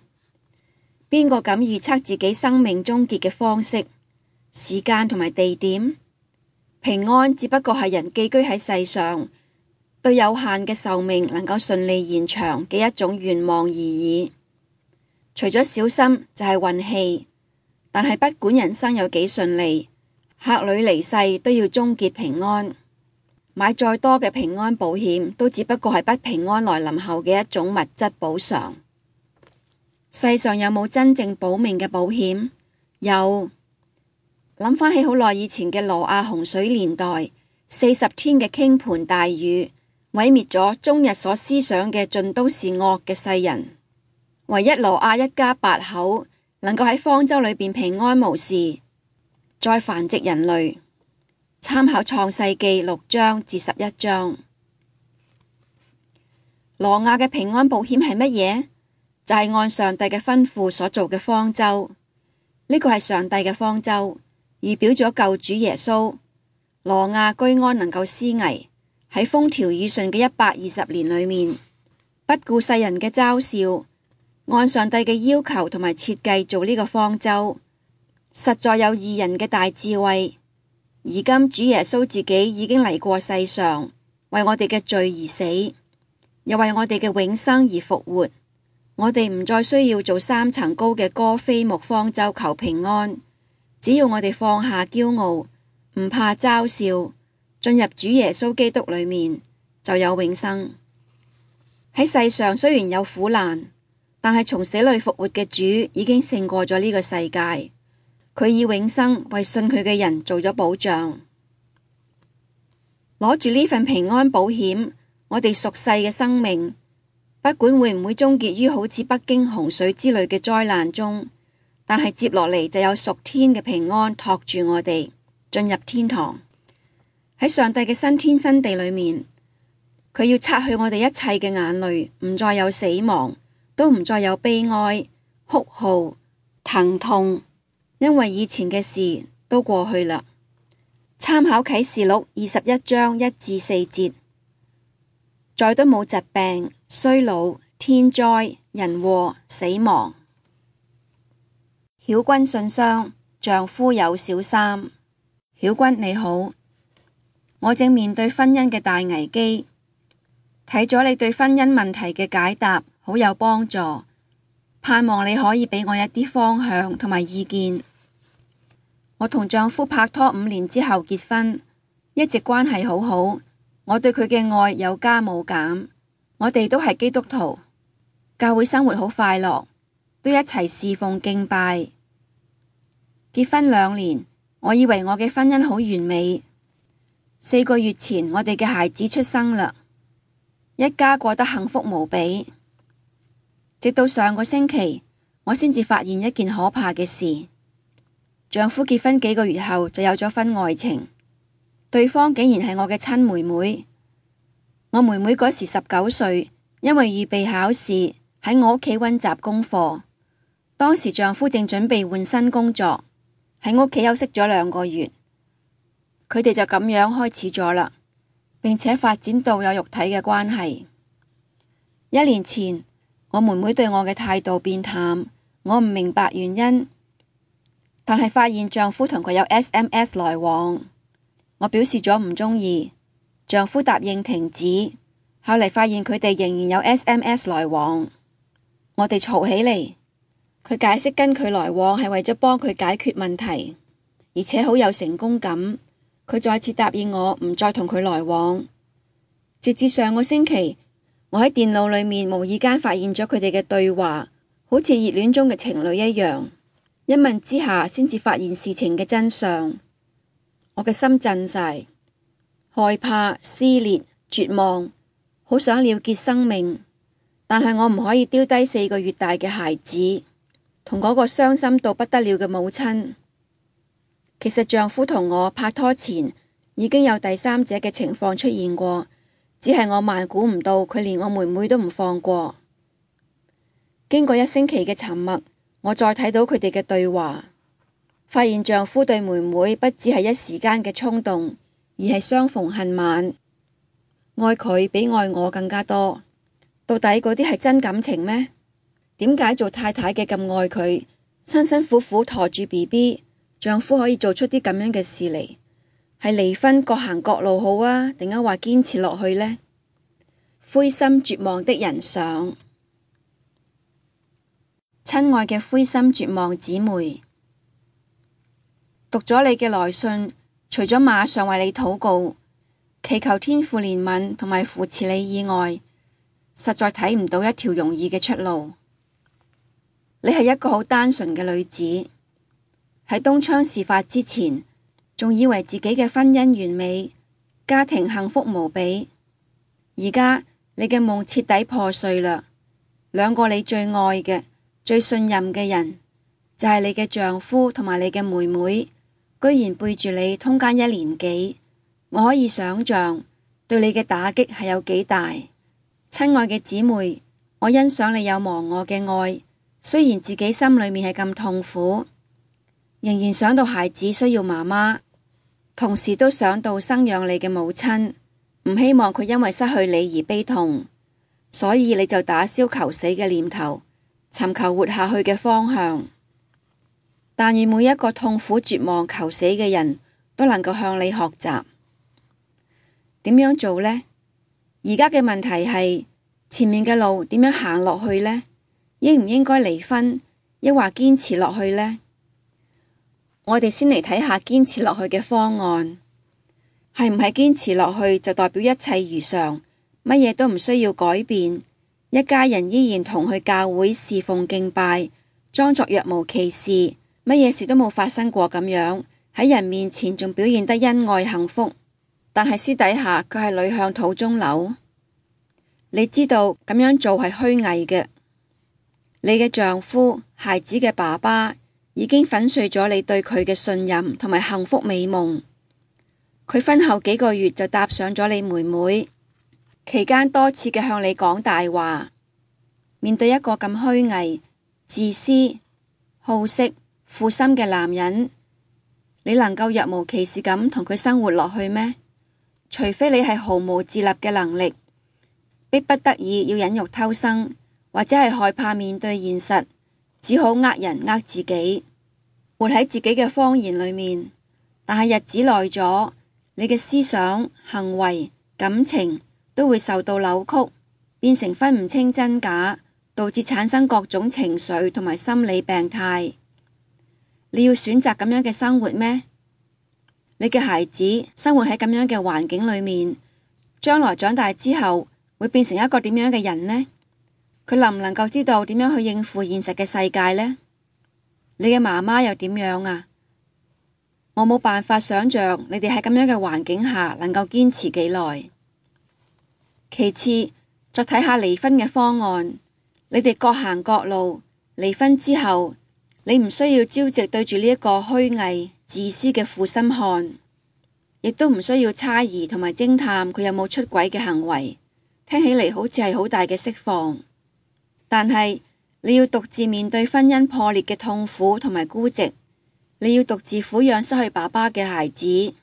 邊個敢預測自己生命終結嘅方式、時間同埋地點？平安只不過係人寄居喺世上，對有限嘅壽命能夠順利延長嘅一種願望而已。除咗小心就係運氣，但係不管人生有幾順利，客旅離世都要終結平安。買再多嘅平安保險，都只不過係不平安來臨後嘅一種物質補償。世上有冇真正保命嘅保險？有。諗翻起好耐以前嘅挪亞洪水年代，40天嘅傾盆大雨，毀滅咗終日所思想嘅盡都是惡嘅世人。唯一挪亞一家8口能夠喺方舟裏邊平安無事，再繁殖人類。參考創世記6章至11章。挪亞嘅平安保險係乜嘢？就係按上帝嘅吩咐所做嘅方舟。呢個係上帝嘅方舟，預表咗救主耶穌。挪亞居安能夠思危，喺風調雨順嘅120年裏面，不顧世人嘅嘲笑，按上帝嘅要求同埋設計做呢個方舟，實在有義人嘅大智慧。而今主耶穌自己已經嚟過世上，為我哋嘅罪而死，又為我哋嘅永生而復活。我哋唔再需要做3層高嘅哥斐木方舟求平安，只要我哋放下驕傲，唔怕嘲笑，進入主耶穌基督裏面，就有永生。喺世上雖然有苦難，但係從死裏復活嘅主已經勝過咗呢個世界。佢以永生為信佢嘅人做咗保障。攞住呢份平安保險，我哋屬世嘅生命，不管會唔會終結於好似北京洪水之類嘅災難中，但係接落嚟就有屬天嘅平安托住我哋進入天堂。喺上帝嘅新天新地裏面，佢要擦去我哋一切嘅眼淚，唔再有死亡，都唔再有悲哀、哭號、疼痛。因為以前嘅事都過去啦。參考啟示錄21章1至4節，再都冇疾病、衰老、天災、人禍、死亡。曉君信箱，丈夫有小三。曉君你好，我正面對婚姻嘅大危機，睇咗你對婚姻問題嘅解答，好有幫助。盼望你可以俾我一啲方向同埋意見。我同丈夫拍拖5年之後結婚，一直關係好好。我對佢嘅愛有加冇減。我哋都係基督徒，教會生活好快樂，都一齊侍奉敬拜。結婚2年，我以為我嘅婚姻好完美。4個月前，我哋嘅孩子出生啦，一家過得幸福無比。直到上個星期，我先至發現一件可怕嘅事。丈夫結婚幾個月後就有咗婚外情，對方竟然係我嘅親妹妹。我妹妹嗰時19歲，因為預備考試喺我屋企溫習功課。當時丈夫正準備換新工作，喺屋企休息咗2個月，佢哋就咁樣開始咗啦，並且發展到有肉體嘅關係。1年前，我妹妹對我嘅態度變淡，我唔明白原因，但係發現丈夫同佢有 SMS 來往，我表示咗唔鍾意，丈夫答應停止。後嚟發現佢哋仍然有 SMS 來往，我哋嘈起嚟。佢解釋跟佢來往係為咗幫佢解決問題，而且好有成功感。佢再次答應我唔再同佢來往，直至上個星期，我喺電腦裏面無意間發現咗佢哋嘅對話，好似熱戀中嘅情侶一樣。一問之下，先至發現事情嘅真相。我嘅心震晒，害怕、撕裂、絕望，好想了結生命，但係我唔可以丟低4個月大嘅孩子，同嗰個傷心到不得了嘅母親。其實丈夫同我拍拖前已經有第三者嘅情況出現過，只係我萬估唔到佢連我妹妹都唔放過。經過1星期嘅沉默，我再睇到佢哋嘅對話，發現丈夫對妹妹不只係一時間嘅衝動，而係相逢恨晚，愛佢比愛我更加多。到底嗰啲係真感情咩？點解做太太嘅咁愛佢，辛辛苦苦馱住 BB， 丈夫可以做出啲咁樣嘅事嚟？係離婚各行各路好啊，定係話堅持落去呢？灰心絕望的人上。親愛嘅灰心絕望姊妹，讀咗你嘅來信，除咗馬上為你禱告，祈求天父憐憫同埋扶持你以外，實在睇唔到一條容易嘅出路。你係一個好單純嘅女子，喺東窗事發之前，仲以為自己嘅婚姻完美，家庭幸福無比。而家你嘅夢徹底破碎啦，兩個你最愛嘅、最信任嘅人，就係你嘅丈夫同埋你嘅妹妹，居然背住你通姦1年幾，我可以想象對你嘅打擊係有幾大。親愛嘅姊妹，我欣賞你有忘我嘅愛，雖然自己心裏面係咁痛苦，仍然想到孩子需要媽媽，同時都想到生養你嘅母親，唔希望佢因為失去你而悲痛，所以你就打消求死嘅念頭，尋求活下去嘅方向。但願每一個痛苦絕望求死嘅人都能夠向你學習。點樣做呢？而家嘅問題係前面嘅路點樣行落去呢？應唔應該離婚，抑或堅持落去呢？我哋先嚟睇下堅持落去嘅方案，係唔係堅持落去就代表一切如常，乜嘢都唔需要改變，一家人依然同去教會侍奉敬拜，裝作若無其事，乜嘢事都冇發生過咁樣，喺人面前仲表現得恩愛幸福，但係私底下佢係屢向土中流。你知道咁樣做係虛偽嘅，你嘅丈夫、孩子嘅爸爸已經粉碎咗你對佢嘅信任同埋幸福美夢。佢婚後幾個月就搭上咗你妹妹，期間多次嘅向你講大話。面對一個咁虛偽、自私、好色、負心嘅男人，你能夠若無其事咁同佢生活落去咩？除非你係毫無自立嘅能力，迫不得已要忍辱偷生，或者係害怕面對現實，只好呃人呃自己，活喺自己嘅謊言裏面。但係日子耐咗，你嘅思想、行為、感情都會受到扭曲，變成分唔清真假，導致產生各種情緒同埋心理病態。你要選擇咁樣嘅生活咩？你嘅孩子生活喺咁樣嘅環境裏面，將來長大之後會變成一個點樣嘅人呢？佢能唔能夠知道點樣去應付現實嘅世界呢？你嘅媽媽又點樣啊？我冇辦法想象你哋喺咁樣嘅環境下能夠堅持幾耐。其次，再睇下離婚嘅方案。你哋各行各路，離婚之後，你唔需要朝夕對住呢一個虛偽、自私嘅負心漢，亦都唔需要猜疑同埋偵探佢有冇出軌嘅行為。聽起嚟好似係好大嘅釋放，但係你要獨自面對婚姻破裂嘅痛苦同埋孤寂，你要獨自撫養失去爸爸嘅孩子，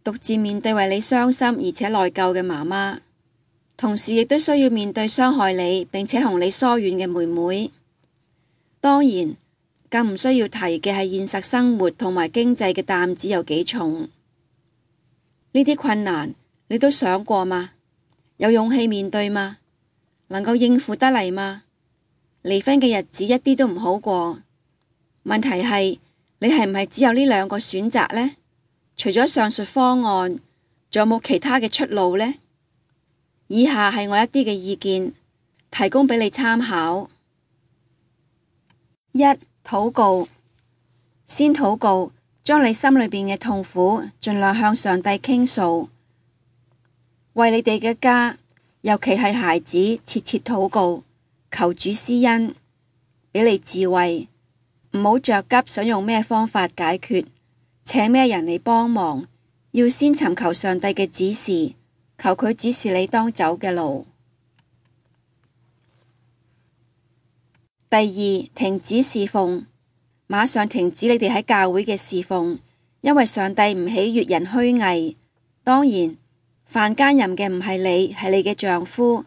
獨自面對為你傷心而且內疚嘅媽媽，同時亦都需要面對傷害你並且同你疏遠嘅妹妹。當然，更唔需要提嘅係現實生活同埋經濟嘅擔子有幾重。呢啲困難你都想過嗎？有勇氣面對嗎？能夠應付得嚟嗎？離婚嘅日子一啲都唔好過。問題係你係唔係只有呢兩個選擇呢？除咗上述方案，仲有冇其他嘅出路呢？以下係我一啲嘅意見，提供俾你參考。1. 禱告。先禱告，將你心裏邊嘅痛苦盡量向上帝傾訴。為你哋嘅家，尤其係孩子，切切禱告，求主施恩，俾你智慧，唔好着急想用咩方法解決，請咩人嚟幫忙，要先尋求上帝嘅指示，求佢指示你當走嘅路。第二，停止侍奉，馬上停止你哋喺教會嘅侍奉，因為上帝唔喜悅人虛偽。當然，犯奸淫嘅唔係你，係你嘅丈夫，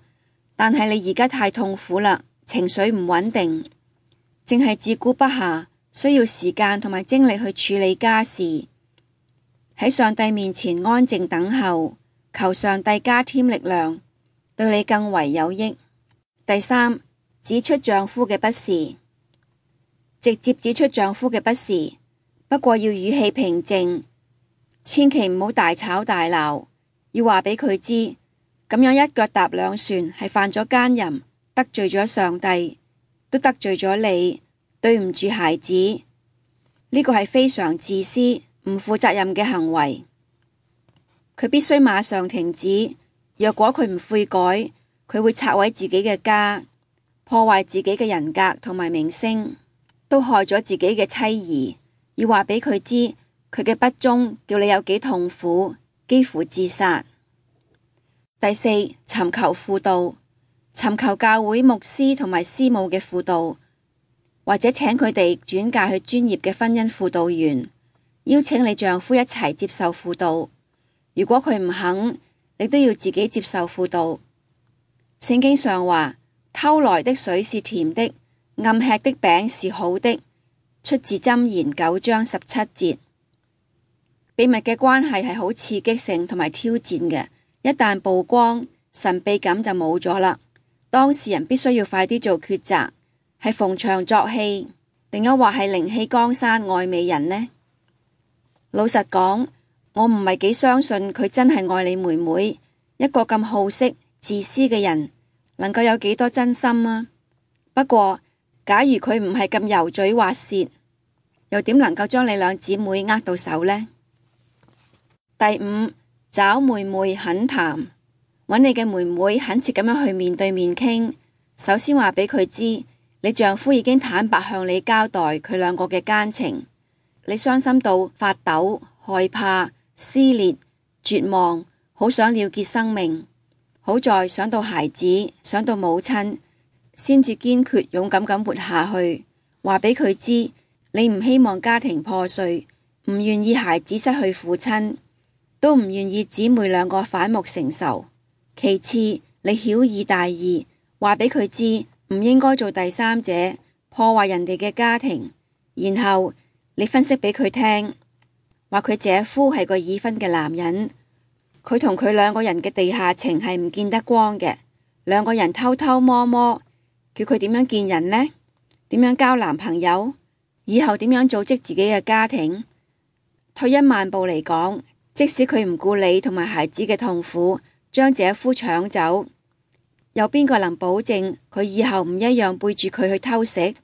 但係你而家太痛苦啦，情緒唔穩定，淨係自顧不暇，需要時間同埋精力去處理家事。喺上帝面前安靜等候，求上帝加添力量，對你更為有益。第三，指出丈夫嘅不是，直接指出丈夫嘅不是，不過要語氣平靜，千祈唔好大吵大鬧，要話俾佢知，咁樣一腳踏兩船係犯咗奸淫，得罪咗上帝，都得罪咗你，對唔住孩子，呢個係非常自私、唔負責任嘅行為，佢必須馬上停止。若果佢唔悔改，佢會拆毀自己嘅家，破壞自己嘅人格同埋名聲，都害咗自己嘅妻兒。要話俾佢知，佢嘅不忠叫你有幾痛苦，幾乎自殺。第四，尋求輔導，尋求教會牧師同埋師母嘅輔導，或者請佢哋轉介去專業嘅婚姻輔導員，邀請你丈夫一齊接受輔導。如果佢唔肯，你都要自己接受輔導。聖經上話，偷來的水是甜的，暗吃的餅是好的，出自箴言9章17節。秘密嘅關係係好刺激性同埋挑戰嘅，一旦曝光，神秘感就冇咗啦。當事人必須要快啲做抉擇，係逢場作戲，定抑或係靈氣江山愛美人呢？老實講，我唔係幾相信佢真係愛你妹妹。一個咁好色、自私嘅人，能夠有幾多真心啊？不過，假如佢唔係咁油嘴滑舌，又點能夠將你兩姊妹握到手呢？第五，找妹妹懇談，揾你嘅妹妹懇切咁樣去面對面傾。首先話俾佢知，你丈夫已經坦白向你交代佢兩個嘅奸情，你傷心到發抖、害怕、撕裂、絕望，好想了結生命。好在想到孩子，想到母親，先至堅決勇敢咁活下去。話俾佢知，你唔希望家庭破碎，唔願意孩子失去父親，都唔願意姊妹兩個反目成仇。其次，你曉以大義，話俾佢知唔應該做第三者，破壞人哋嘅家庭。然後你分析俾佢聽，話佢姐夫係個已婚嘅男人，佢同佢兩個人嘅地下情係唔見得光嘅，兩個人偷偷摸摸，叫佢點樣見人呢？點樣交男朋友？以後點樣組織自己嘅家庭？退一萬步嚟講，即使佢唔顧你同埋孩子嘅痛苦，將姐夫搶走，有邊個能保證佢以後唔一樣背住佢去偷食？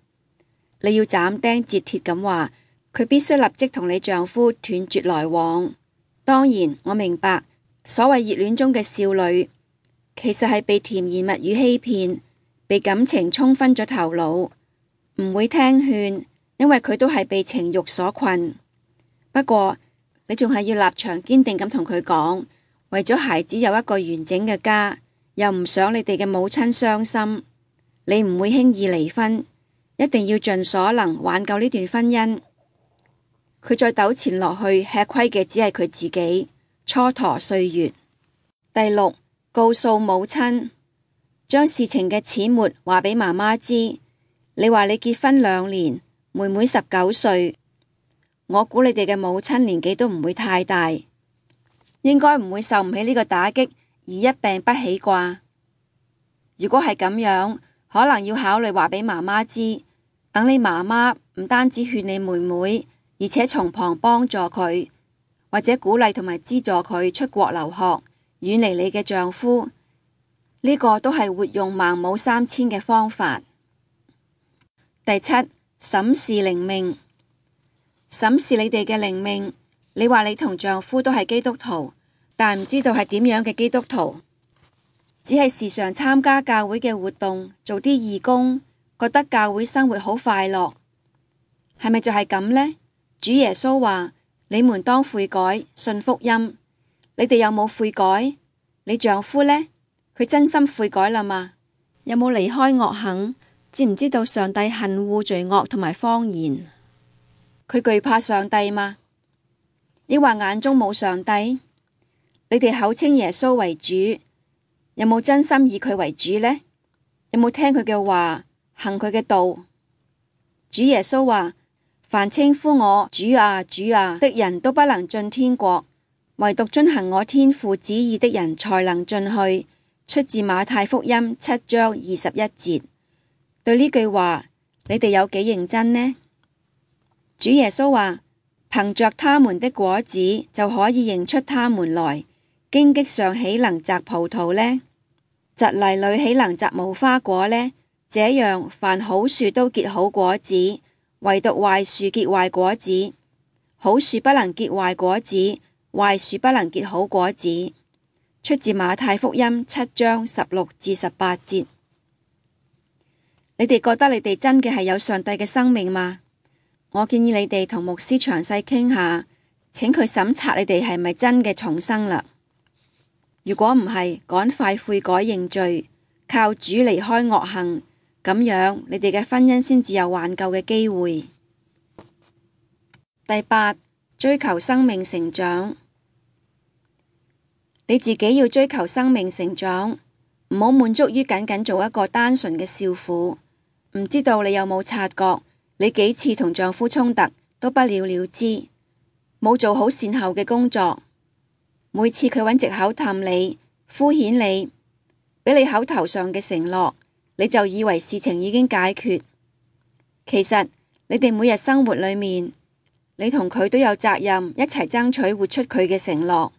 你要斬釘截鐵咁話，佢必須立即同你丈夫斷絕來往。當然，我明白所謂熱戀中嘅少女，其實係被甜言蜜語欺騙，被感情沖昏咗頭腦，唔會聽勸，因為佢都係被情慾所困。不過你仲係要立場堅定咁同佢講，為咗孩子有一個完整嘅家，又唔想你哋嘅母親傷心，你唔會輕易離婚，一定要盡所能挽救呢段婚姻。佢再糾纏落去，吃虧嘅只係佢自己，蹉跎歲月。第六，告訴母親，將事情嘅始末話俾媽媽知。你話你結婚2年，妹妹19歲，我估你哋嘅母親年紀都唔會太大，應該唔會受唔起呢個打擊而一病不起啩。如果係咁樣，可能要考慮話俾媽媽知，等你媽媽唔單止勸你妹妹，而且從旁幫助佢，或者鼓勵同埋資助佢出國留學，遠離你嘅丈夫。呢個都係活用孟母3000嘅方法。第七，審視靈命，審視你哋嘅靈命。你話你同丈夫都係基督徒，但唔知道係點樣嘅基督徒，只係時常參加教會嘅活動，做啲義工，覺得教會生活好快樂，係咪就係咁呢？主耶穌話：你們當悔改，信福音。你哋有冇悔改？你丈夫呢？佢真心悔改啦嘛？有冇離開惡行，知唔知道上帝恨惡罪惡同埋謊言？佢懼怕上帝嗎？抑或眼中冇上帝？你哋口稱耶穌為主，有冇真心以佢為主呢？有冇聽佢嘅話，行佢嘅道？主耶穌話：凡稱呼我主啊主啊的人都不能進天國，唯獨遵行我天父旨意的人才能進去。出自馬太福音7章21節。對呢句話，你哋有幾認真呢？主耶穌話：憑着他們的果子就可以認出他們來。荊棘上豈能摘葡萄呢？蒺藜裏豈能摘無花果呢？這樣，凡好樹都結好果子，唯獨壞樹結壞果子。好樹不能結壞果子，壞樹不能結好果子。出自馬太福音7章16至18節。你哋覺得你哋真嘅係有上帝嘅生命嗎？我建議你哋同牧師詳細傾下，請佢審查你哋係咪真嘅重生啦。如果唔係，趕快悔改認罪，靠主離開惡行，咁樣你哋嘅婚姻先至有挽救嘅機會。第8，追求生命成長。你自己要追求生命成長，唔好滿足於僅僅做一個單純嘅少婦。唔知道你有冇察覺，你幾次同丈夫衝突都不了了之，冇做好善後嘅工作。每次佢揾藉口氹你、敷衍你，俾你口頭上嘅承諾，你就以為事情已經解決。其實你哋每日生活裏面，你同佢都有責任一齊爭取活出佢嘅承諾。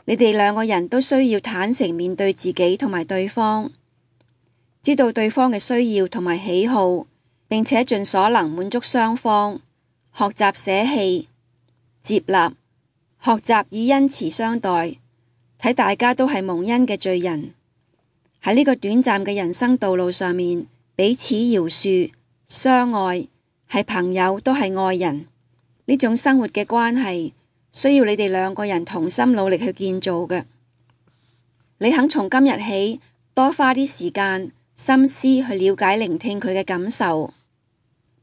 你哋兩個人都需要坦誠面對自己同埋對方，知道對方嘅需要同埋喜好，並且盡所能滿足雙方。學習捨棄、接納，學習以恩慈相待，睇大家都係蒙恩嘅罪人。喺呢個短暫嘅人生道路上面，彼此饒恕、相愛，係朋友都係愛人。呢種生活嘅關係，需要你哋兩個人同心努力去建造嘅。你肯從今日起多花啲時間、心思去了解、聆聽佢嘅感受，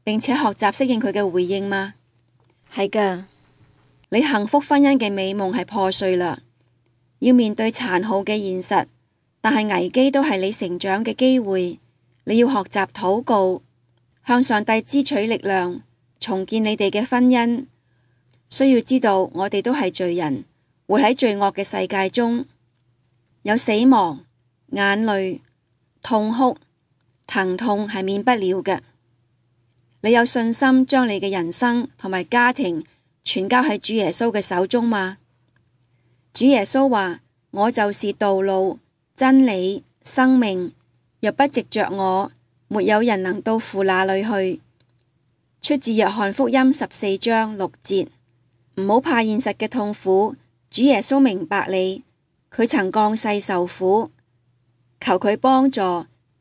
並且學習適應佢嘅回應嗎？係㗎，你幸福婚姻嘅美夢係破碎啦，要面對殘酷嘅現實，但係危機都係你成長嘅機會。你要學習禱告，向上帝支取力量，重建你哋嘅婚姻。需要知道，我哋都係罪人，活喺罪惡嘅世界中，有死亡、眼淚、痛哭、疼痛係免不了嘅。你有信心將你嘅人生同埋家庭全交喺主耶穌嘅手中嗎？主耶穌話：我就是道路、真理、生命，若不藉着我，沒有人能到父那裏去。出自約翰福音14章6節。唔好怕現實嘅痛苦，主耶穌明白你，佢曾降世受苦，求佢幫助，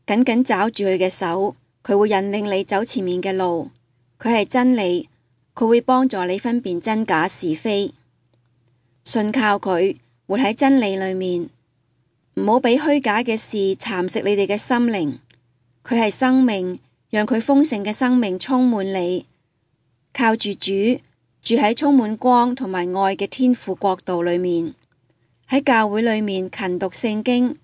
緊緊抓住佢嘅手，佢會引領你走前面嘅路。佢係真理，佢會幫助你分辨真假是非。信靠佢，活喺真理裏面，唔好俾虛假嘅事蠶食你哋嘅心靈。佢係生命，讓佢豐盛嘅生命充滿你，靠住主。住喺充滿光同埋愛嘅天父國度裏面，喺教會裏面勤讀聖經，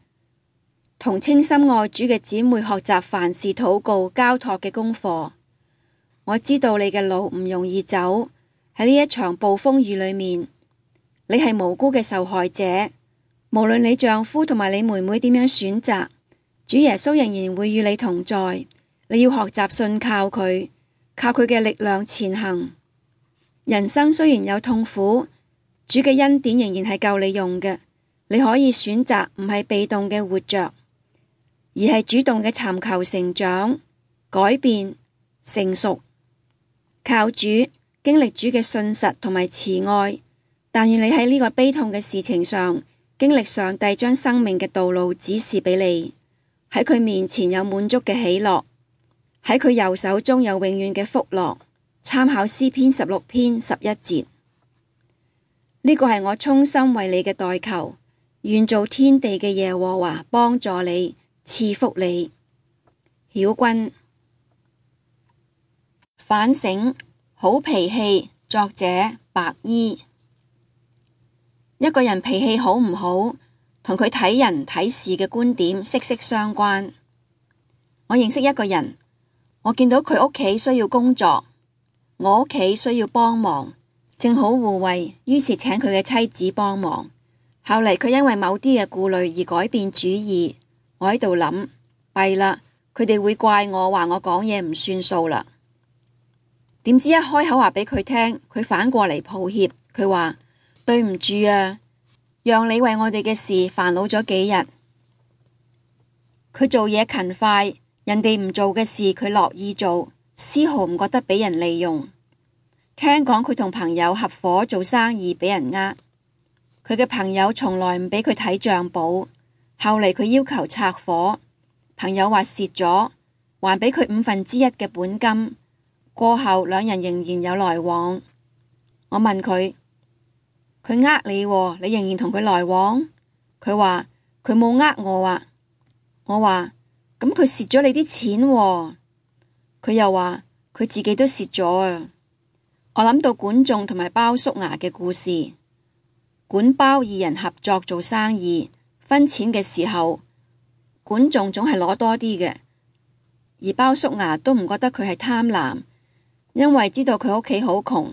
同清心愛主嘅姊妹學習凡事禱告交託嘅功課。我知道你嘅路唔容易走，喺呢一場暴風雨裏面，你係無辜嘅受害者。無論你丈夫同埋你妹妹點樣選擇，主耶穌仍然會與你同在。你要學習信靠佢，靠佢嘅力量前行。人生雖然有痛苦，主嘅恩典仍然係夠你用嘅。你可以選擇唔係被動嘅活着，而係主動嘅尋求成長、改變、成熟，靠主經歷主嘅信實同埋慈愛。但願你喺呢個悲痛嘅事情上，經歷上帝將生命嘅道路指示俾你，喺佢面前有滿足嘅喜樂，喺佢右手中有永遠嘅福樂。參考詩篇16篇11節，呢個係我衷心為你嘅代求，願造天地嘅耶和華幫助你，賜福你。曉君。反省，好脾氣，作者白衣。一個人脾氣好唔好，同佢睇人睇事嘅觀點息息相關。我認識一個人，我見到佢屋企需要工作，我屋企需要幫忙，正好互惠，於是請佢嘅妻子幫忙。後嚟佢因為某啲嘅顧慮而改變主意，我喺度諗，弊啦，佢哋會怪我話我講嘢唔算數啦。點知一開口話俾佢聽，佢反過嚟抱歉，佢話對唔住啊，讓你為我哋嘅事煩惱咗幾日。佢做嘢勤快，人哋唔做嘅事佢樂意做，絲毫唔覺得俾人利用。聽講佢同朋友合夥做生意俾人呃，佢嘅朋友從來唔俾佢睇賬簿，後嚟佢要求拆夥，朋友話蝕咗，還俾佢1/5嘅本金。過後兩人仍然有來往。我問佢呃你喎，你仍然同佢來往？佢話佢冇呃我啊。我話咁佢蝕咗你啲錢喎。佢又話佢自己都蝕咗啊。我諗到管仲同埋鮑叔牙嘅故事。管鮑二人合作做生意，分錢嘅時候，管仲總係攞多啲嘅，而鮑叔牙都唔覺得佢係貪婪，因為知道佢屋企好窮。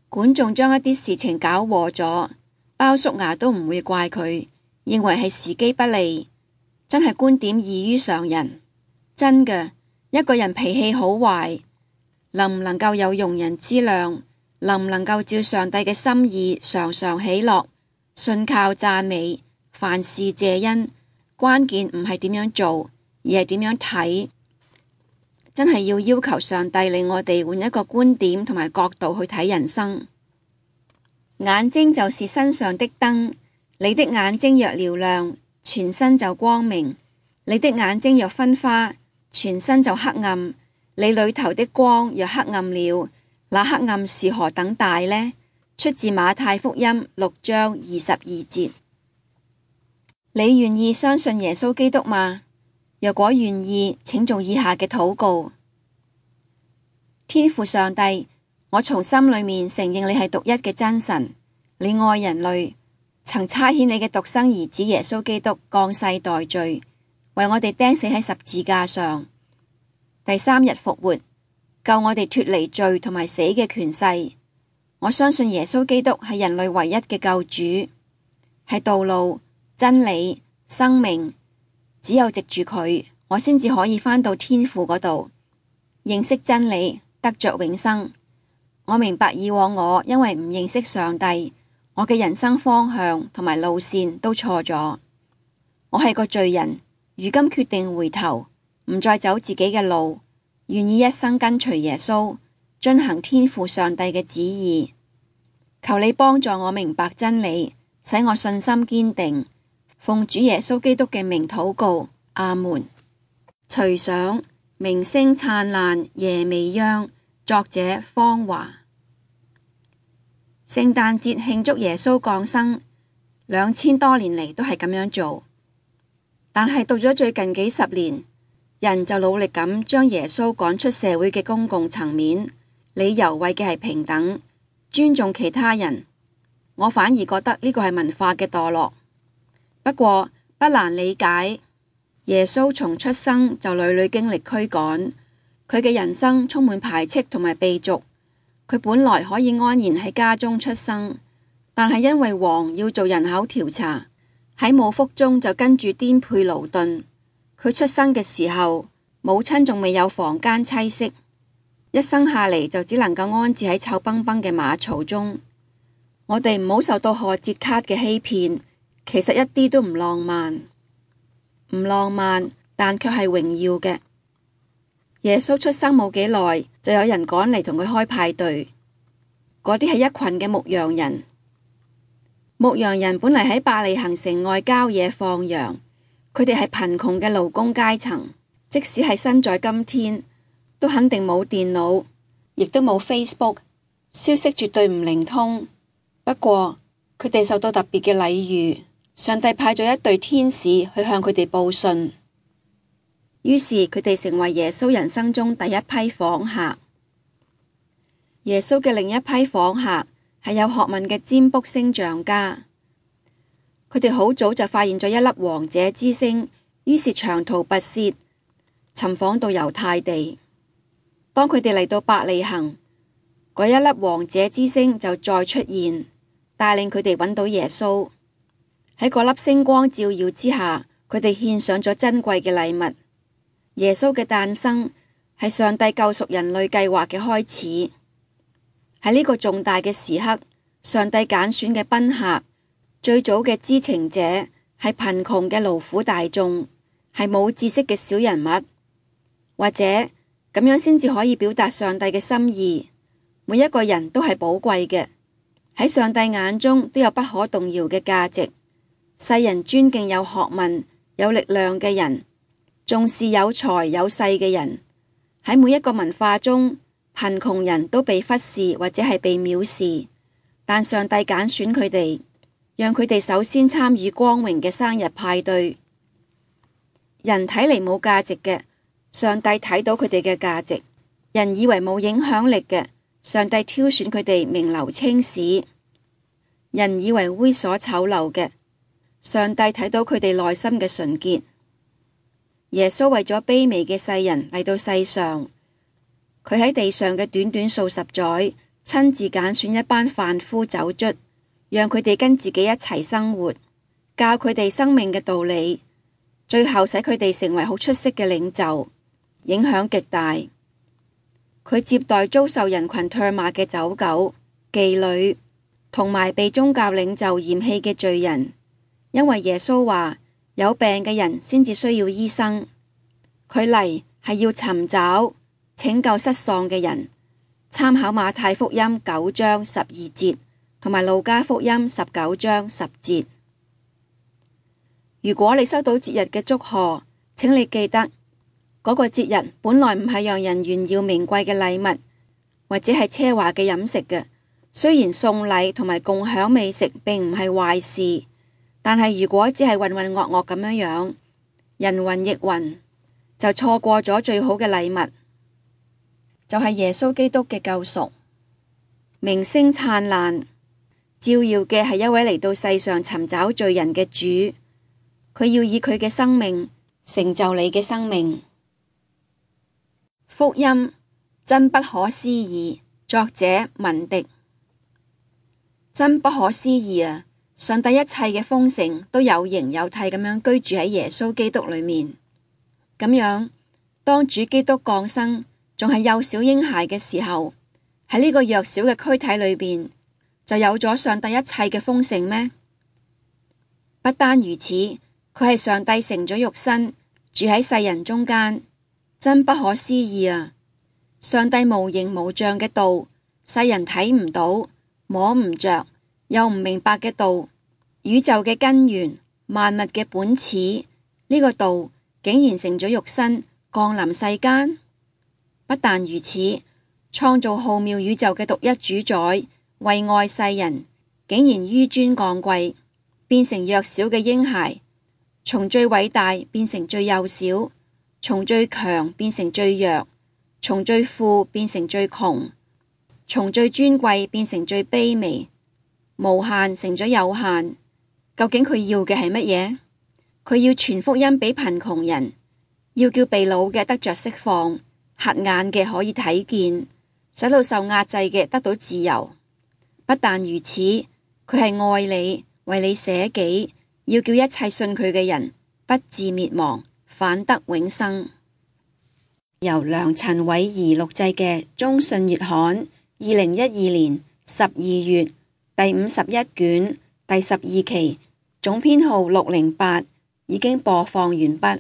管仲將一啲事情搞禍咗，鮑叔牙都唔會怪佢，認為係時機不利，真係觀點異於常人。真嘅，一個人脾氣好壞，能唔能夠有容人之量，能唔能夠照上帝嘅心意常常喜樂，信靠讚美，凡事謝恩，關鍵唔係點樣做，而係點樣睇。真係要求上帝令我哋換一個觀點同埋角度去睇人生。眼睛就是身上的燈，你的眼睛若嘹亮，全身就光明；你的眼睛若昏花，全身就黑暗。你裏頭的光若黑暗了，那黑暗是何等大呢？出自馬太福音6章22節。你願意相信耶穌基督嗎？若果願意，請做以下嘅禱告。天父上帝，我從心裏面承認你係獨一嘅真神，你愛人類，曾差遣你嘅獨生兒子耶穌基督降世代罪，為我哋釘死喺十字架上，第3日復活，救我哋脫離罪同埋死嘅權勢。我相信耶穌基督係人類唯一嘅救主，係道路、真理、生命。只有藉住佢，我先至可以返到天父嗰度，認識真理，得着永生。我明白以往我因為唔認識上帝，我嘅人生方向同埋路線都錯咗。我係個罪人，如今決定回頭，唔再走自己嘅路，願意一生跟隨耶穌，遵行天父上帝嘅旨意。求你幫助我明白真理，使我信心堅定。奉主耶穌基督嘅名禱告，阿門。隨想明星燦爛夜未央，作者方華。聖誕節慶祝耶穌降生，2000多年嚟都係咁樣做，但係到咗最近幾十年，人就努力咁將耶穌趕出社會嘅公共層面，理由為嘅係平等、尊重其他人。我反而覺得呢個係文化嘅墮落。不過不難理解，耶穌從出生就屢屢經歷驅趕，佢嘅人生充滿排斥同埋被逐。佢本來可以安然喺家中出生，但係因為王要做人口調查，喺母腹中就跟住顛沛勞頓。佢出生嘅時候，母親仲未有房間棲息，一生下嚟就只能夠安置喺臭崩崩嘅馬槽中。我哋唔好受到賀節卡嘅欺騙。其實一啲都唔浪漫，唔浪漫，但卻係榮耀嘅。耶穌出生冇幾耐，就有人趕嚟同佢開派對。嗰啲係一群嘅牧羊人。牧羊人本嚟喺伯利恆城外郊野放羊，佢哋係貧窮嘅勞工階層，即使係身在今天，都肯定冇電腦，亦都冇 Facebook， 消息絕對唔靈通。不過佢哋受到特別嘅禮遇。上帝派咗一隊天使去向佢哋報信。於是佢哋成為耶穌人生中第一批訪客。耶穌嘅另一批訪客係有學問嘅占卜星象家，佢哋好早就發現咗一粒王者之星，於是長途跋涉，尋訪到猶太地。當佢哋嚟到伯利恆，嗰一粒王者之星就再出現，帶領佢哋揾到耶穌。喺嗰粒星光照耀之下，佢哋獻上咗珍貴嘅禮物。耶穌嘅誕生係上帝救贖人類計劃嘅開始。喺呢個重大嘅時刻，上帝揀選嘅賓客，最早嘅知情者係貧窮嘅勞苦大眾，係冇知識嘅小人物，或者咁樣先至可以表達上帝嘅心意。每一個人都係寶貴嘅，喺上帝眼中都有不可動搖嘅價值。世人尊敬有學問、有力量嘅人，重視有才有勢嘅人。喺每一個文化中，貧窮人都被忽視或者係被藐視，但上帝揀選佢哋，讓佢哋首先參與光榮嘅生日派對。人睇嚟冇價值嘅，上帝睇到佢哋嘅價值；人以為冇影響力嘅，上帝挑選佢哋名留青史；人以為猥瑣醜陋嘅，上帝睇到佢哋內心嘅純潔。耶穌為咗卑微嘅世人嚟到世上，佢喺地上嘅短短數十載，親自揀選一班販夫走卒，讓佢哋跟自己一齊生活，教佢哋生命嘅道理，最後使佢哋成為好出色嘅領袖，影響極大。佢接待遭受人群唾罵嘅走狗、妓女，同埋被宗教領袖嫌棄嘅罪人，因為耶穌話有病嘅人先至需要醫生，佢嚟係要尋找拯救失喪嘅人。參考馬太福音9章12節同埋路加福音19章10節。如果你收到節日嘅祝賀，請你記得嗰個節日本來唔係讓人炫耀名貴嘅禮物或者係奢華嘅飲食嘅。雖然送禮同埋共享美食並唔係壞事，但係如果只係渾渾噩噩咁樣，人云亦云，就錯過咗最好嘅禮物，就係耶穌基督嘅救贖。明星燦爛，照耀嘅係一位嚟到世上尋找罪人嘅主，佢要以佢嘅生命成就你嘅生命。福音真不可思議，作者文迪。真不可思議啊！上帝一切嘅豐盛都有形有體咁樣居住喺耶穌基督裏面。咁樣，當主基督降生，仲係幼小嬰孩嘅時候，喺呢個弱小嘅軀體裏邊，就有咗上帝一切嘅豐盛咩？不單如此，佢係上帝成咗肉身，住喺世人中間，真不可思議啊！上帝無形無象嘅道，世人睇唔到，摸唔着，又唔明白嘅道，宇宙嘅根源，萬物嘅本始，呢個道竟然成咗肉身，降臨世間。不但如此，創造浩渺宇宙嘅獨一主宰，為愛世人，竟然紆尊降貴，變成弱小嘅嬰孩，從最偉大變成最幼小，從最強變成最弱，從最富變成最窮，從最尊貴變成最卑微，無限成咗有限。究竟佢要嘅係乜嘢？佢要傳福音俾貧窮人，要叫被擄嘅得着釋放，瞎眼嘅可以睇見，使到受壓制嘅得到自由。不但如此，佢係愛你，為你捨己，要叫一切信佢嘅人不致滅亡，反得永生。由梁陳偉儀錄製嘅中信月刊2012年12月第51卷第12期總編號608已經播放完畢。